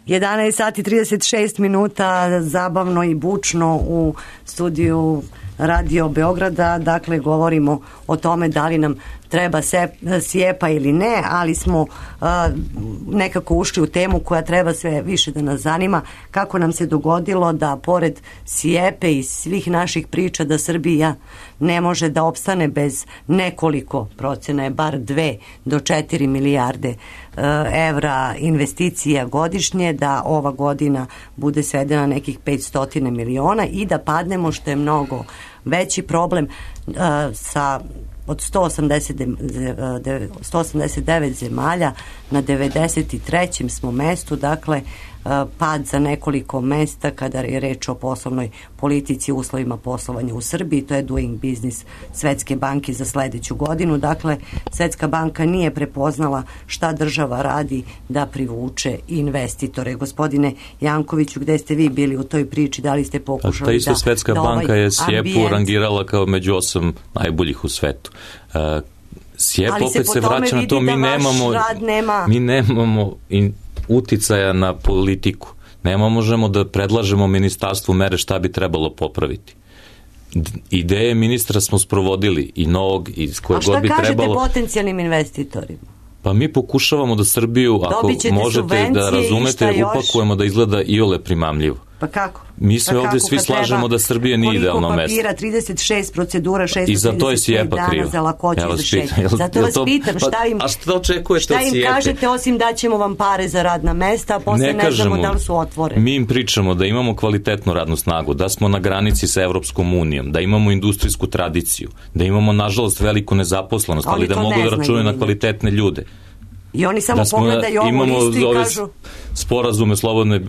11 sati 36 minuta, zabavno i bučno u studiju Radio Beograda. Dakle, govorimo o tome da li nam treba SIEPA ili ne, ali smo nekako ušli u temu koja treba sve više da nas zanima. Kako nam se dogodilo da pored SIEPE i svih naših priča da Srbija ne može da opstane bez nekoliko, procena je bar 2 do 4 milijarde evra investicija godišnje, da ova godina bude svedena nekih 500 miliona i da padnemo, što je mnogo veći problem, sa od 189 zemalja na 93. smo mestu, dakle pad za nekoliko mesta kada je reč o poslovnoj politici, uslovima poslovanja u Srbiji. To je Doing Business Svetske banke za sledeću godinu. Dakle, Svetska banka nije prepoznala šta država radi da privuče investitore. Gospodine Jankoviću, gde ste vi bili u toj priči? Da li ste pokušali ta isto Svetska banka je SIEPU rangirala kao među 8 najboljih u svetu. SIEP opet se vraća na to, mi nemamo uticaja na politiku. Ne možemo da predlažemo ministarstvu mere šta bi trebalo popraviti. Ideje ministra smo sprovodili i novog, i koje god bi trebalo. A šta kažete potencijalnim investitorima? Pa mi pokušavamo da Srbiju, ako možete da razumete, upakujemo da izgleda iole primamljivo. Pa kako? Mi se ovde svi slažemo da Srbija nije idealno mesto. Koliko papira, 36 procedura, 635 dana za lakoću za šetnje. Zato vas pitam, šta im kažete osim da ćemo vam pare za radna mesta, a posle ne znamo da li su otvoreni. Mi im pričamo da imamo kvalitetnu radnu snagu, da smo na granici sa Evropskom unijom, da imamo industrijsku tradiciju, da imamo nažalost veliku nezaposlenost, ali da mogu da računaju na kvalitetne ljude. I oni samo pogledaju ovu listu i kažu... Sporazume slobodne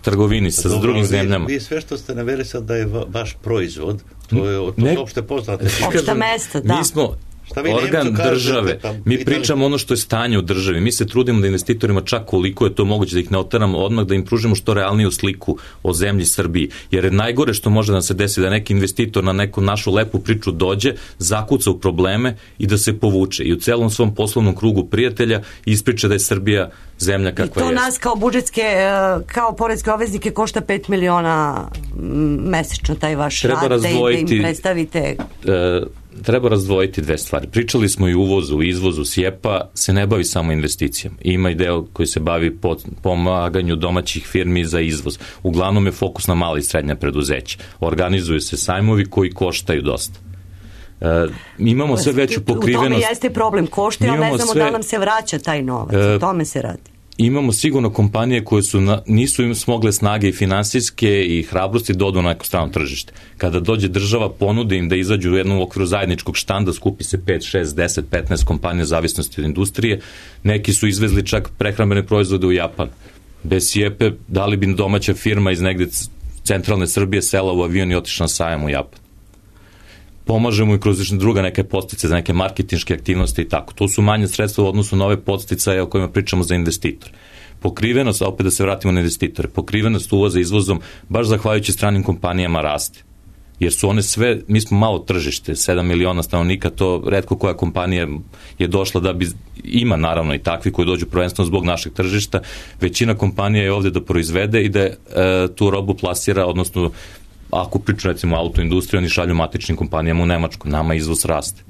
trgovini sa drugim zemljama. Vi sve što ste naveli sad da je vaš proizvod, to je opšte poznate. Opšta mesta, da. Mi smo organ države. Mi pričamo ono što je stanje u državi. Mi se trudimo da investitorima čak koliko je to moguće da ih ne oteramo odmah, da im pružimo što realniju sliku o zemlji Srbiji. Jer je najgore što može da se desi da neki investitor na neku našu lepu priču dođe, zakuca u probleme i da se povuče. I u celom svom poslovnom krugu prijatelja ispriča da je Srbija zemlja kakva je. I to nas kao budžetske, kao poreske obveznike košta 5 miliona mesečno taj vaš rad, da im predstavite. Treba razdvojiti dve stvari. Pričali smo i uvozu, izvozu. SIEPA se ne bavi samo investicijama. Ima i deo koji se bavi pomaganju domaćih firmi za izvoz. Uglavnom je fokus na mala i srednja preduzeća. Organizuju se sajmovi koji koštaju dosta. Imamo sve veću pokrivenost. U tome jeste problem, koštaju, ali ne znamo da nam se vraća taj novac. O tome se radi. Imamo sigurno kompanije koje nisu im smogle snage i finansijske i hrabrosti da odu na neko strano tržište. Kada dođe država, ponude im da izađu u jednom okviru zajedničkog štanda, skupi se 5, 6, 10, 15 kompanija zavisnosti od industrije. Neki su izvezli čak prehrambene proizvode u Japan. Bez SIEPA da li bi domaća firma iz negde centralne Srbije sela u avion i otišla na sajam u Japan. Pomažemo i kroz druga neke podstice za neke marketinške aktivnosti i tako. To su manje sredstva u odnosu na ove podsticaje o kojima pričamo za investitor. Pokrivenost, a opet da se vratimo na investitore, pokrivenost uvoza izvozom baš zahvaljujući stranim kompanijama raste. Jer su one sve, mi smo malo tržište, 7 miliona stanovnika, to retko koja kompanija je došla da bi, ima naravno i takvi koji dođu prvenstveno zbog našeg tržišta, većina kompanija je ovde da proizvede i da tu robu plasira, odnosno ako priču recimo autoindustriju, oni šalju matičnim kompanijama u Nemačku, nama izvoz raste.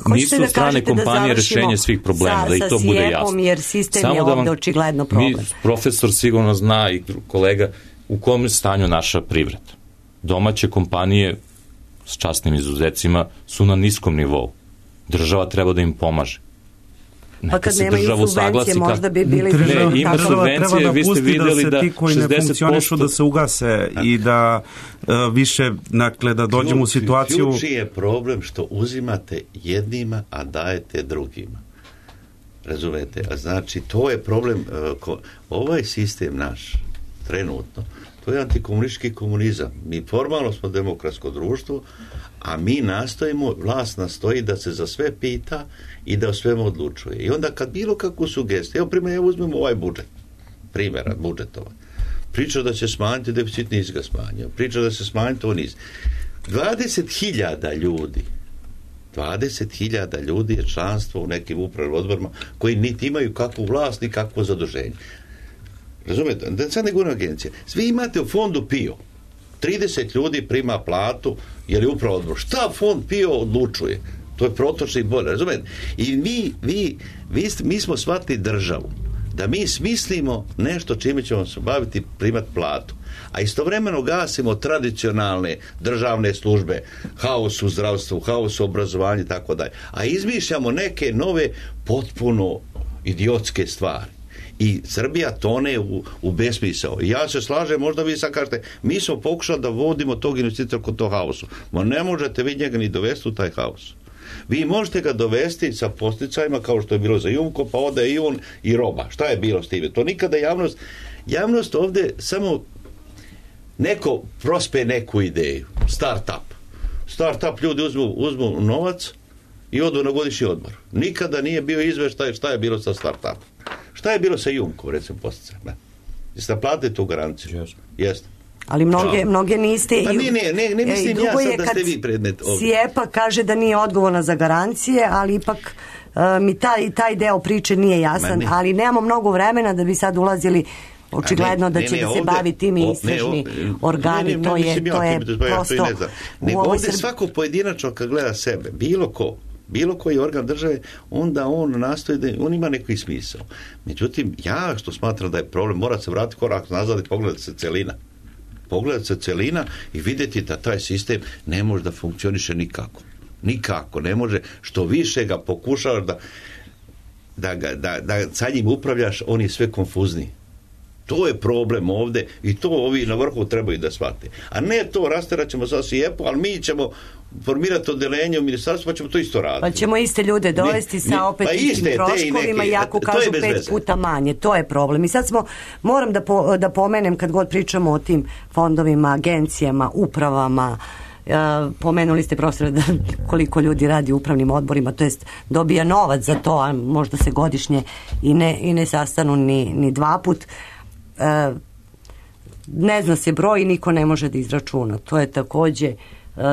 Nisu strane kompanije rešenje svih problema, da i to bude jasno. Jer sistem je ovde očigledno problem. Profesor sigurno zna i kolega u kom stanju naša privreda. Domaće kompanije s časnim izuzecima su na niskom nivou. Država treba da im pomaže. Pa kad nemaju subvencije, možda bi bili... Ima subvencije, vi ste videli da ti koji ne funkcionišu da se ugase i da više, dakle, da dođemo u situaciju... Ključni je problem što uzimate jednima, a dajete drugima. Razumete? A znači, to je problem, ovaj sistem naš, trenutno, to je antikomunistički komunizam. Mi formalno smo demokratsko društvo, a mi nastojimo, vlast nastoji da se za sve pita i da o svemu odlučuje. I onda kad bilo kakvu sugestiju, evo uzmemo ovaj budžet, primjera budžetova, priča da će smanjiti deficit, nisi ga smanjio, priča da se smanjiti, to nisi. 20.000 ljudi je članstvo u nekim upravnim odborima koji niti imaju kakvu vlast ni kakvo zaduženje. Razumete? Da sad ne govorim agencije. Svi imate u fondu PIO. 30 ljudi prima platu, jer je upravo odbor. Šta fond PIO odlučuje? To je protočni bolje, razumete? I mi smo shvatili državu, da mi smislimo nešto čime ćemo se baviti, primati platu, a istovremeno gasimo tradicionalne državne službe, haos u zdravstvu, haos u obrazovanju i tako dalje, a izmišljamo neke nove potpuno idiotske stvari. I Srbija tone u besmisao. Ja se slažem, možda vi sad kažete, mi smo pokušali da vodimo tog investitora kod tog haosu. Ma ne možete vi njega ni dovesti u taj haos. Vi možete ga dovesti sa posticajima kao što je bilo za Jumko, pa ode i on i roba. Šta je bilo s time? To nikada javnost ovde samo neko prospe neku ideju. Start-up ljudi uzmu novac i odu na godišnji odmor. Nikada nije bio izveštaj šta je bilo sa start-upom. Šta je bilo sa Jumkom, recimo, posticajima? Jeste naplatili tu garanciju? Jeste. Ali mnoge niste... Pa ne mislim ja sad da ste vi predmet ovdje. SIEPA kaže da nije odgovorna za garancije, ali ipak mi taj deo priče nije jasan, ali nemamo mnogo vremena da bi sad ulazili očigledno da će da se bavi tim istražni organi. To je prosto... Ovdje svako pojedinačno kad gleda sebe, bilo koji organ države, onda on nastoji da on ima neki smisao. Međutim, ja što smatram da je problem, mora se vratiti korak nazad i pogledati se celina i vidjeti da taj sistem ne može da funkcioniše nikako ne može, što više ga pokušavaš da sa njim upravljaš, on je sve konfuzniji. To je problem ovde i to ovi na vrhu trebaju da shvate. A ne to, rasteraćemo za SIEPA, ali mi ćemo formirati odelenje u ministarstvu, pa ćemo to isto raditi. Pa ćemo iste ljude dovesti sa opet istim troškovima, iako kažu 5 puta manje. To je problem. I sad moram da pomenem, kad god pričamo o tim fondovima, agencijama, upravama, pomenuli ste, profesore, da koliko ljudi radi u upravnim odborima, to jest dobija novac za to, a možda se godišnje i ne sastanu ni dva put. Ne zna se broj i niko ne može da izračuna. To je takođe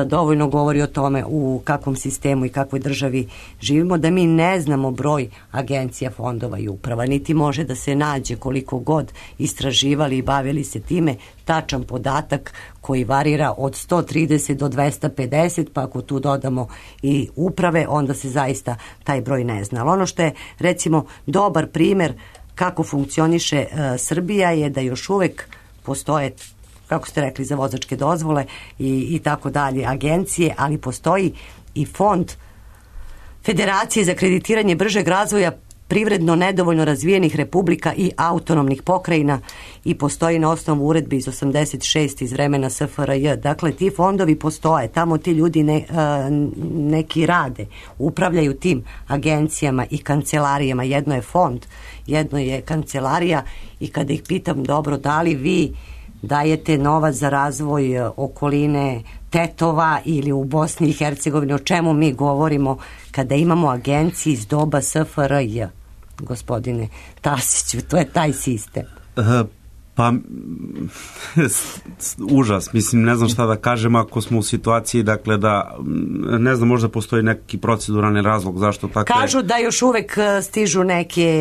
dovoljno govori o tome u kakvom sistemu i kakvoj državi živimo, da mi ne znamo broj agencija, fondova i uprava, niti može da se nađe koliko god istraživali i bavili se time, tačan podatak koji varira od 130 do 250, pa ako tu dodamo i uprave, onda se zaista taj broj ne zna. Ali ono što je, recimo, dobar primer kako funkcioniše Srbija je da još uvek postoje, kako ste rekli, za vozačke dozvole i tako dalje, agencije, ali postoji i fond Federacije za kreditiranje bržeg razvoja privredno nedovoljno razvijenih republika i autonomnih pokrajina i postoji na osnovu uredbe iz 86 iz vremena SFRJ. Dakle, ti fondovi postoje, tamo ti ljudi neki rade, upravljaju tim agencijama i kancelarijama. Jedno je fond, jedno je kancelarija i kada ih pitam, dobro, da li vi dajete novac za razvoj okoline Tetova ili u Bosni i Hercegovini, o čemu mi govorimo kada imamo agencije iz doba SFRJ, gospodine Tasiću, to je taj sistem. Pa, užas, mislim, ne znam šta da kažem ako smo u situaciji, dakle, da, ne znam, možda postoji neki proceduralni razlog zašto tako je. Kažu da još uvek stižu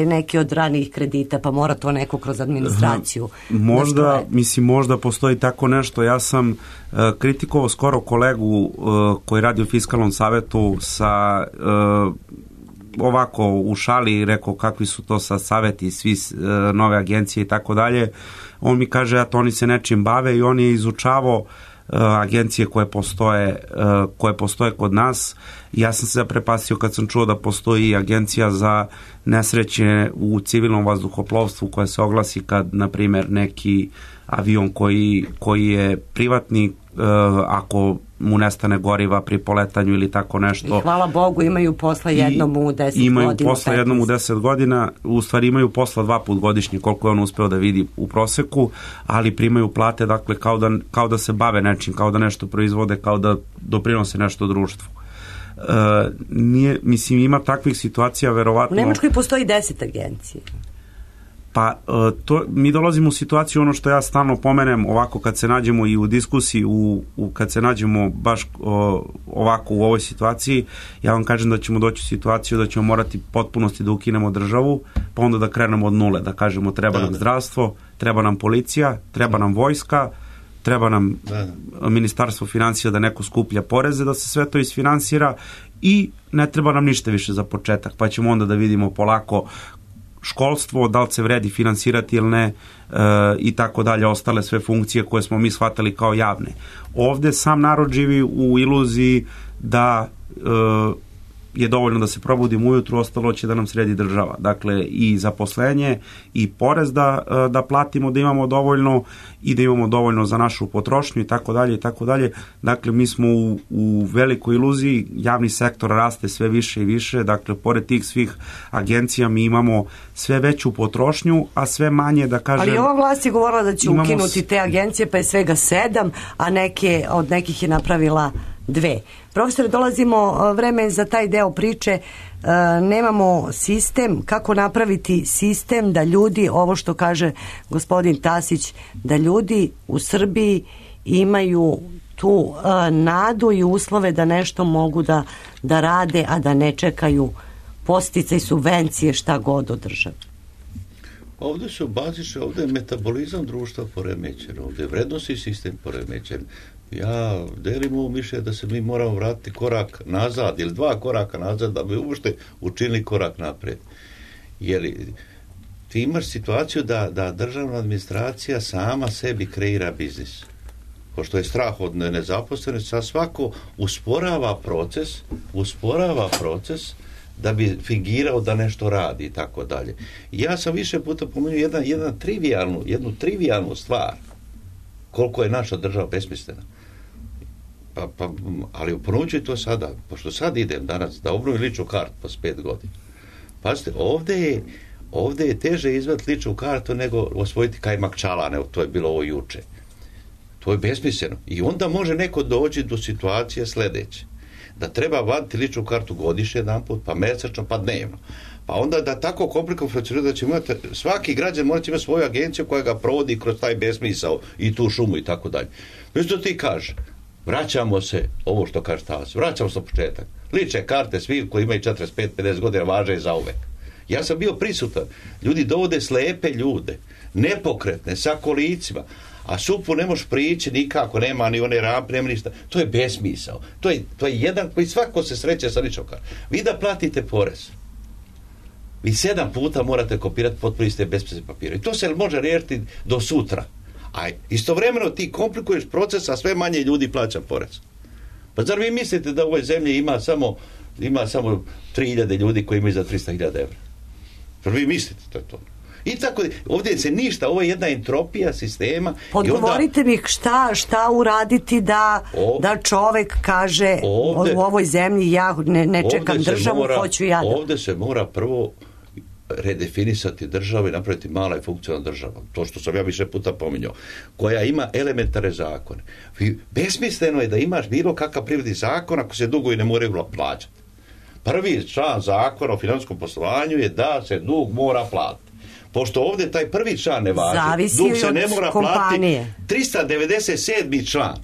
neki od ranijih kredita, pa mora to neko kroz administraciju. Možda, mislim, možda postoji tako nešto. Ja sam kritikovao skoro kolegu koji radi u Fiskalnom savetu sa ovako u šali, rekao kakvi su to sad saveti, svi nove agencije i tako dalje. On mi kaže, eto, oni se nečim bave i on je izučavao agencije koje postoje kod nas. Ja sam se zaprepastio kad sam čuo da postoji agencija za nesreće u civilnom vazduhoplovstvu koja se oglasi kad, na primjer, neki avion koji je privatni, ako mu nestane goriva pri poletanju ili tako nešto. I hvala Bogu imaju posla jednom u 10 godina. Imaju posla jednom u 10 godina, u stvari imaju posla 2 puta godišnje, koliko je on uspeo da vidi u proseku, ali primaju plate, dakle, kao da se bave nečim, kao da nešto proizvode, kao da doprinose nešto društvu. Mislim, ima takvih situacija, verovatno. U Nemačkoj postoji 10 agencija. Pa mi dolazimo u situaciju, ono što ja stalno pomenem, ovako kad se nađemo i u diskusiji, kad se nađemo baš ovako u ovoj situaciji, ja vam kažem da ćemo doći u situaciju da ćemo morati potpunosti da ukinemo državu, pa onda da krenemo od nule, da kažemo treba nam zdravstvo, treba nam policija, treba nam vojska, treba nam ministarstvo financija da neko skuplja poreze, da se sve to isfinansira i ne treba nam ništa više za početak, pa ćemo onda da vidimo polako školstvo, da li se vredi finansirati ili ne, i tako dalje, ostale sve funkcije koje smo mi shvatali kao javne. Ovde sam narod živi u iluziji da je dovoljno da se probudimo ujutru, ostalo će da nam sredi država. Dakle, i zaposlenje i porez da platimo, da imamo dovoljno i da imamo dovoljno za našu potrošnju i tako dalje i tako dalje. Dakle, mi smo u velikoj iluziji, javni sektor raste sve više i više, dakle, pored tih svih agencija mi imamo sve veću potrošnju, a sve manje, da kažem... Ali ova vlast je govorila da će ukinuti te agencije, pa je svega 7, a od nekih je napravila 2. Profesore, dolazimo vreme za taj deo priče, nemamo sistem, kako napraviti sistem da ljudi, ovo što kaže gospodin Tasić, da ljudi u Srbiji imaju tu nadu i uslove da nešto mogu da rade, a da ne čekaju podsticaj, subvencije, šta god od države. Ovdje su bazične, ovdje je metabolizam društva poremećen, ovdje je vrednosni sistem poremećen. Ja delim ovo mišljenje da se mi moramo vratiti korak nazad ili 2 koraka nazad da bi uopšte učinili korak napred. Jer ti imaš situaciju da državna administracija sama sebi kreira biznis. Pošto je strah od nezaposlenosti, sad svako usporava proces da bi fingirao da nešto radi i tako dalje. Ja sam više puta pomenuo jednu trivijalnu stvar, koliko je naša država besmislena. Ali ponovit ću to sada, pošto sad idem danas da obnovim ličnu kartu posle 5 godina. Pazite, ovdje je teže izvaditi ličnu kartu nego osvojiti kajmak čalane, to je bilo ovo juče. To je besmisleno. I onda može neko doći do situacije sledeće. Da treba vaditi ličnu kartu godišnje jedanput, pa mesečno, pa dnevno. Pa onda da tako komplikovano funkcionira da će imati, svaki građan mora imati svoju agenciju koja ga provodi kroz taj besmisao i tu šumu i tako dalje. Što ti kaže? vraćamo se, ovo što kaže Talas, vraćamo se na početak. Lične karte svi koji imaju 45-50 godina važe i zauvek. Ja sam bio prisutan. Ljudi dovode slepe ljude, nepokretne, sa kolicima, a SUP-u ne možeš prići nikako, nema ni one rampe, nema ništa. To je besmisao. To je jedan koji svako se sreće sa ličnom kartom. Vi da platite porez, vi 7 puta morate kopirati potpuno iste bespisne papire. I to se može riješiti do sutra. A istovremeno ti komplikuješ proces, a sve manje ljudi plaća porez. Pa zar vi mislite da u ovoj zemlji ima samo 3.000 ljudi koji imaju za 300.000 evra? Zar vi mislite da je to? I tako, ovdje se ništa, ovo je jedna entropija sistema. Odgovorite mi šta uraditi da čovek kaže u ovoj zemlji ja ne čekam državu, hoću ja da... Ovdje se mora prvo redefinisati državu i napraviti mala i funkcionalna država. To što sam ja više puta pominjao. Koja ima elementarne zakone. Besmisleno je da imaš bilo kakav privredni zakon ako se dugovi ne moraju plaćati. Prvi član zakona o financijskom poslovanju je da se dug mora platiti. Pošto ovdje taj prvi član ne važi, dug se ne mora platiti. 397. član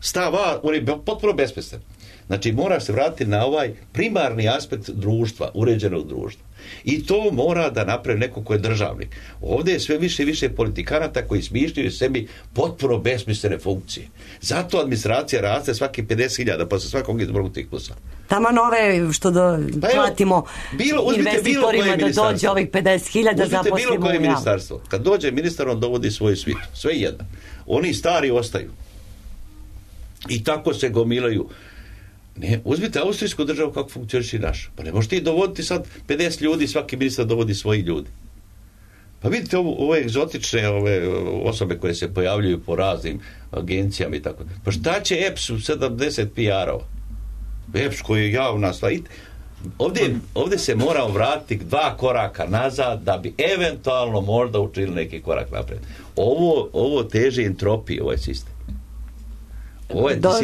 stava, on je potpuno besmislen. Znači mora se vratiti na ovaj primarni aspekt društva, uređenog društva. I to mora da napravi neko ko je državnik. Ovdje je sve više i više politikanata koji smišljaju sebi potpuno besmislene funkcije. Zato administracija raste svaki 50.000 posle svakog izbornog ciklusa. Taman ove što platimo investitorima da dođe ovih 50.000 zaposlimo. Bilo koje ministarstvo. Kad dođe ministar, on dovodi svoju svitu. Sve jedan. Oni stari ostaju. I tako se gomilaju. Ne, uzmite austrijsku državu kako funkcioniše naša. Pa ne možeš ti dovoditi sad 50 ljudi, svaki ministar dovodi svoji ljudi. Pa vidite ove egzotične osobe koje se pojavljuju po raznim agencijama i tako. Pa šta će EPS u 70 PR-ova? EPS koji je javna stvar. Ovdje se moramo vratiti 2 koraka nazad da bi eventualno možda učinili neki korak napred. Ovo teži entropiji, ovaj sistem.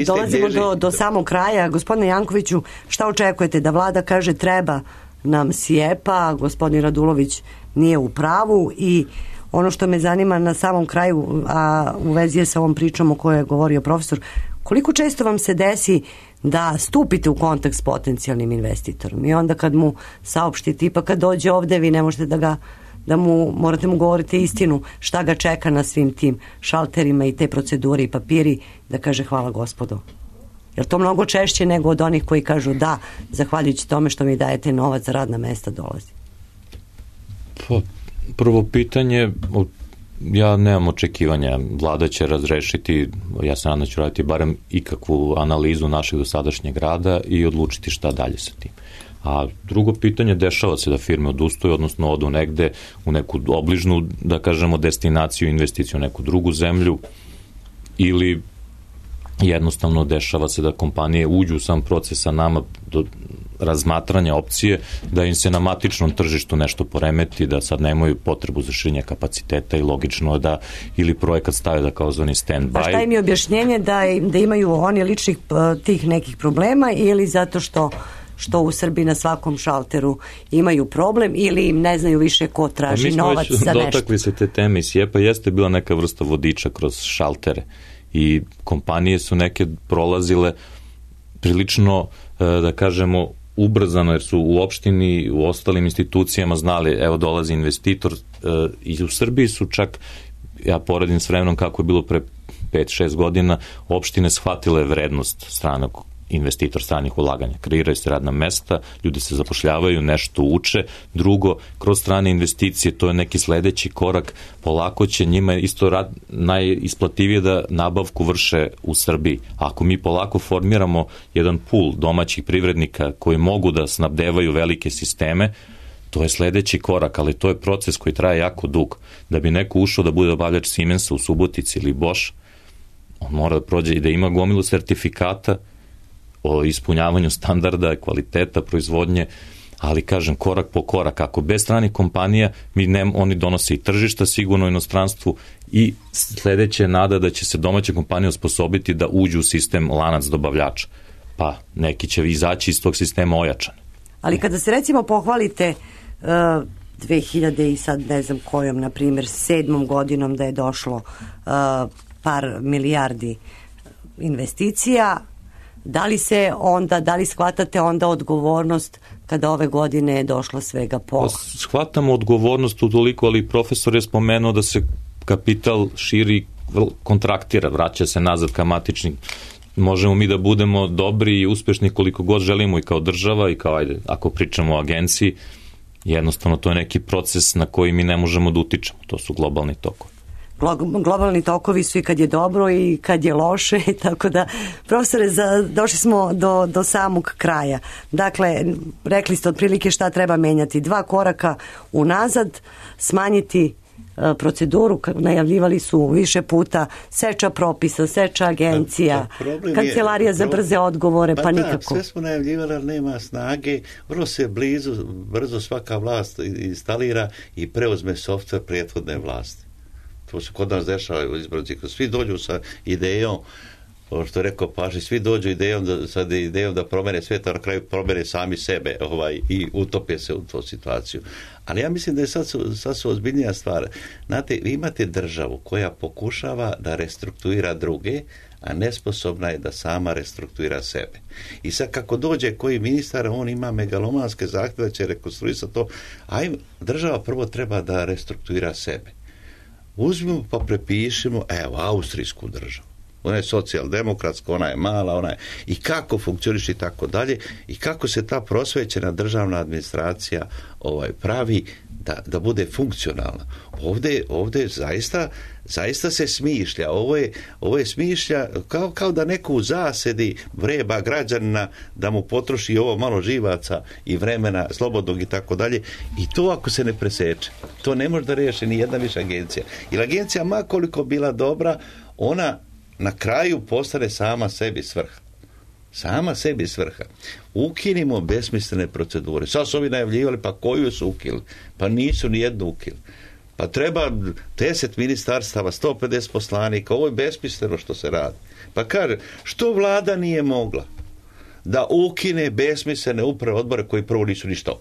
Dolazimo do samog kraja. Gospodine Jankoviću, šta očekujete? Da vlada kaže treba nam SIEPA, gospodin Radulović nije u pravu i ono što me zanima na samom kraju, a u vezi je sa ovom pričom o kojoj je govorio profesor, koliko često vam se desi da stupite u kontakt s potencijalnim investitorom i onda kad mu saopštite, tipa kad dođe ovde vi ne možete morate mu govoriti istinu šta ga čeka na svim tim šalterima i te procedure i papiri, da kaže hvala gospodo. Jer to mnogo češće nego od onih koji kažu da, zahvaljujući tome što mi dajete novac za radna mesta dolazi. Pa, prvo pitanje, ja nemam očekivanja. Vlada će razrešiti, ja se nadam da ću raditi barem ikakvu analizu našeg dosadašnjeg rada i odlučiti šta dalje sa tim. A drugo pitanje, dešava se da firme odustaju, odnosno odu negde u neku obližnu, da kažemo, destinaciju, investiciju u neku drugu zemlju, ili jednostavno dešava se da kompanije uđu u sam proces sa nama do razmatranja opcije, da im se na matičnom tržištu nešto poremeti, da sad nemaju potrebu za širenje kapaciteta i logično je da ili projekat stave da kao zvani stand-by. A šta im je objašnjenje da imaju oni ličnih tih nekih problema ili zato što u Srbiji na svakom šalteru imaju problem ili im ne znaju više ko traži novac za nešto? Mi smo već dotakli se te teme i SIEPA jeste bila neka vrsta vodiča kroz šaltere i kompanije su neke prolazile prilično, da kažemo, ubrzano, jer su u opštini, u ostalim institucijama znali, evo dolazi investitor, i u Srbiji su čak, ja poredim s vremenom kako je bilo pre 5-6 godina, opštine shvatile vrednost stranog investitor, stranih ulaganja. Kreiraju se radna mesta, ljudi se zapošljavaju, nešto uče. Drugo, kroz strane investicije, to je neki sledeći korak, polako će njima isto najisplativije da nabavku vrše u Srbiji. Ako mi polako formiramo jedan pool domaćih privrednika koji mogu da snabdevaju velike sisteme, to je sledeći korak, ali to je proces koji traje jako dug. Da bi neko ušao da bude obavljač Siemensa u Subotici ili Bosch, on mora da prođe i da ima gomilu sertifikata o ispunjavanju standarda, kvaliteta proizvodnje, ali kažem korak po korak. Ako bez stranih kompanija, oni donose i tržišta sigurno u inostranstvu i sledeće nada da će se domaće kompanije osposobiti da uđu u sistem lanac dobavljača. Pa neki će izaći iz tog sistema ojačan. Ali kada se recimo pohvalite 2000 i sad ne znam kojom, na primjer 7. godinom da je došlo par milijardi investicija, da li shvatate onda odgovornost kada ove godine je došlo svega pola? Shvatamo odgovornost utoliko, ali profesor je spomenuo da se kapital širi, kontraktira, vraća se nazad ka matičnim. Možemo mi da budemo dobri i uspešni koliko god želimo i kao država i kao, ako pričamo o agenciji, jednostavno to je neki proces na koji mi ne možemo da utičemo. To su globalni tokovi. Globalni tokovi su i kad je dobro i kad je loše, tako da, profesore, došli smo do samog kraja. Dakle, rekli ste otprilike šta treba menjati. 2 koraka unazad, smanjiti proceduru, najavljivali su više puta seča propisa, seča agencija, kancelarija za brze odgovore, pa nikako. Sve smo najavljivali, ali nema snage, vrlo se brzo svaka vlast instalira i preuzme softver prethodne vlasti. To se kod nas dešava u izbornom ciklusu. Svi dođu sa idejom, što je rekao Pašić, svi dođu idejom da promene svijet, a na kraju promene sami sebe i utope se u tu situaciju. Ali ja mislim da je sad su ozbiljnija stvar. Znate, vi imate državu koja pokušava da restrukturira druge, a nesposobna je da sama restrukturira sebe. I sad kako dođe koji ministar, on ima megalomanske zahtjeve da će rekonstruisati to. Država prvo treba da restrukturira sebe. Uzmimo pa prepišemo, austrijsku državu. Ona je socijaldemokratska, ona je mala, i kako funkcioniše i tako dalje, i kako se ta prosvećena državna administracija pravi da bude funkcionalna. Ovdje zaista se smišlja. Ovo je smišlja kao da neko u zasedi vreba građanina da mu potroši ovo malo živaca i vremena slobodnog i tako dalje. I to ako se ne preseče, to ne može da riješi ni jedna više agencija. Jer agencija, ma koliko bila dobra, ona na kraju postane sama sebi svrha. Sama sebi svrha. Ukinimo besmislene procedure. Sad su ovi najavljivali, pa koju su ukinuli? Pa nisu ni jednu ukinuli. Pa treba 10 ministarstava, 150 poslanika, ovo je besmisleno što se radi. Pa kaže, što vlada nije mogla da ukine besmislene uprave odbore koji prvo nisu ništa,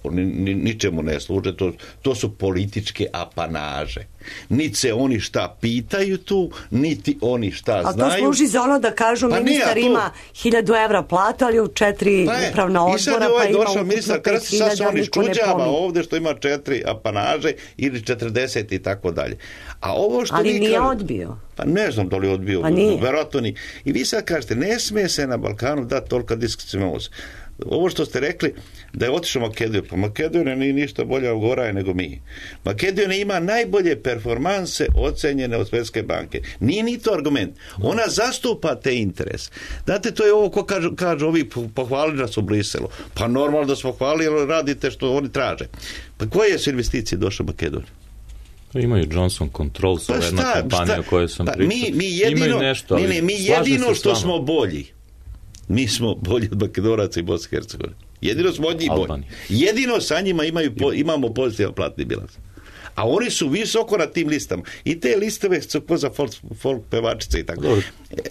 ničemu ne služe, to su političke apanaže. Niti se oni šta pitaju tu, niti oni šta znaju. A to služi za ono da kažu ministar ima 1000 evra platu, ali u 4 upravna odbora, i sad je došao ministar, kada se sad on iščuđava ovdje što ima 4 apanaže ili 40 i tako dalje. A ovo što ali nije odbio. Pa ne znam da li je odbio, verovatno ni. I vi sad kažete, ne smije se na Balkanu dati tolika diskrecionalnost. Ovo što ste rekli da je otišao Makedoniju, pa Makedonija nije ništa bolja ugoraje nego mi. Makedonija ima najbolje performanse ocenjene od Svjetske banke. Nije ni to argument. Ona zastupa te interese. Znate, to je ovo ko kažu ovi pohvalili nas u Briselu. Pa normalno da smo hvalili, jer radite što oni traže. Pa koje su investicije došle u Makedoniju? Imaju Johnson Controls, jedna kompanija o kojoj sam pričao. Mi jedino što smo bolji. Mi smo bolji od Makedonaca i Bosne i Hercegovine. Jedino smo od njih bolji. Jedino sa njima imamo pozitivan platni bilans. A oni su visoko na tim listama. I te listove su ko za folk pevačice i tako.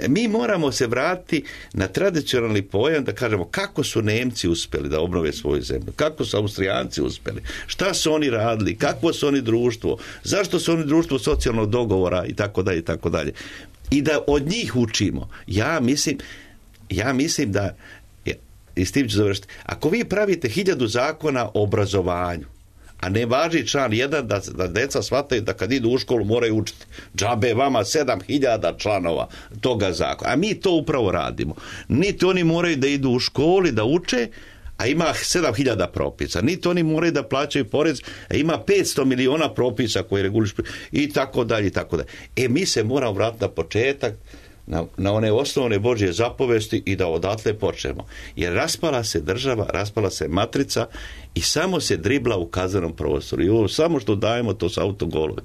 Mi moramo se vratiti na tradicionalni pojam da kažemo kako su Nemci uspjeli da obnove svoju zemlju, kako su Austrijanci uspjeli, šta su oni radili, kakvo su oni društvo, zašto su oni društvo socijalnog dogovora i tako dalje i tako dalje. I da od njih učimo. Ja mislim da, i s tim ću završiti, ako vi pravite 1000 zakona o obrazovanju, a ne važi član 1 da deca shvataju da kad idu u školu moraju učiti. Džabe vama 7000 članova toga zakona. A mi to upravo radimo. Niti oni moraju da idu u školi da uče, a ima 7000 propisa. Niti oni moraju da plaćaju porez, a ima 500 miliona propisa koji regulišu i tako dalje i tako dalje. Mi se moramo vratiti na početak, na one osnovne Božje zapovesti i da odatle počnemo. Jer raspala se država, raspala se matrica i samo se dribla u kaznenom prostoru. I ovo samo što dajemo, to su autogolovi.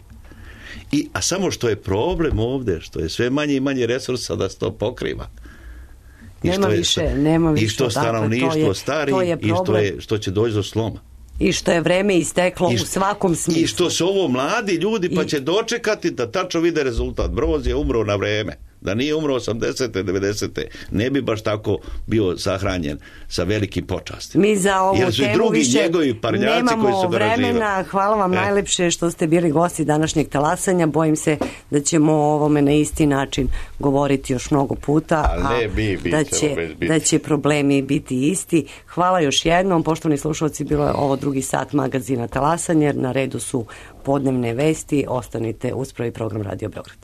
A samo što je problem ovdje, što je sve manje i manje resursa da se to pokriva. Nema više. I što stanovništvo stari i što će doći do sloma. I što je vreme isteklo u svakom smislu. I što su ovo mladi ljudi pa će dočekati da tačno vide rezultat. Broz je umro na vreme. Da nije umro 80. 90. ne bi baš tako bio sahranjen sa velikim počastima. Mi za ovu jer su temu drugi više njegovi parnjaci koji su vremena. Hvala vam najlepše što ste bili gosti današnjeg talasanja. Bojim se da ćemo o ovome na isti način govoriti još mnogo puta, da će problemi biti isti. Hvala još jednom. Poštovani slušalci, bilo je ovo drugi sat magazina Talasanje, jer na redu su podnevne vesti. Ostanite uz prvi program Radio Beograd.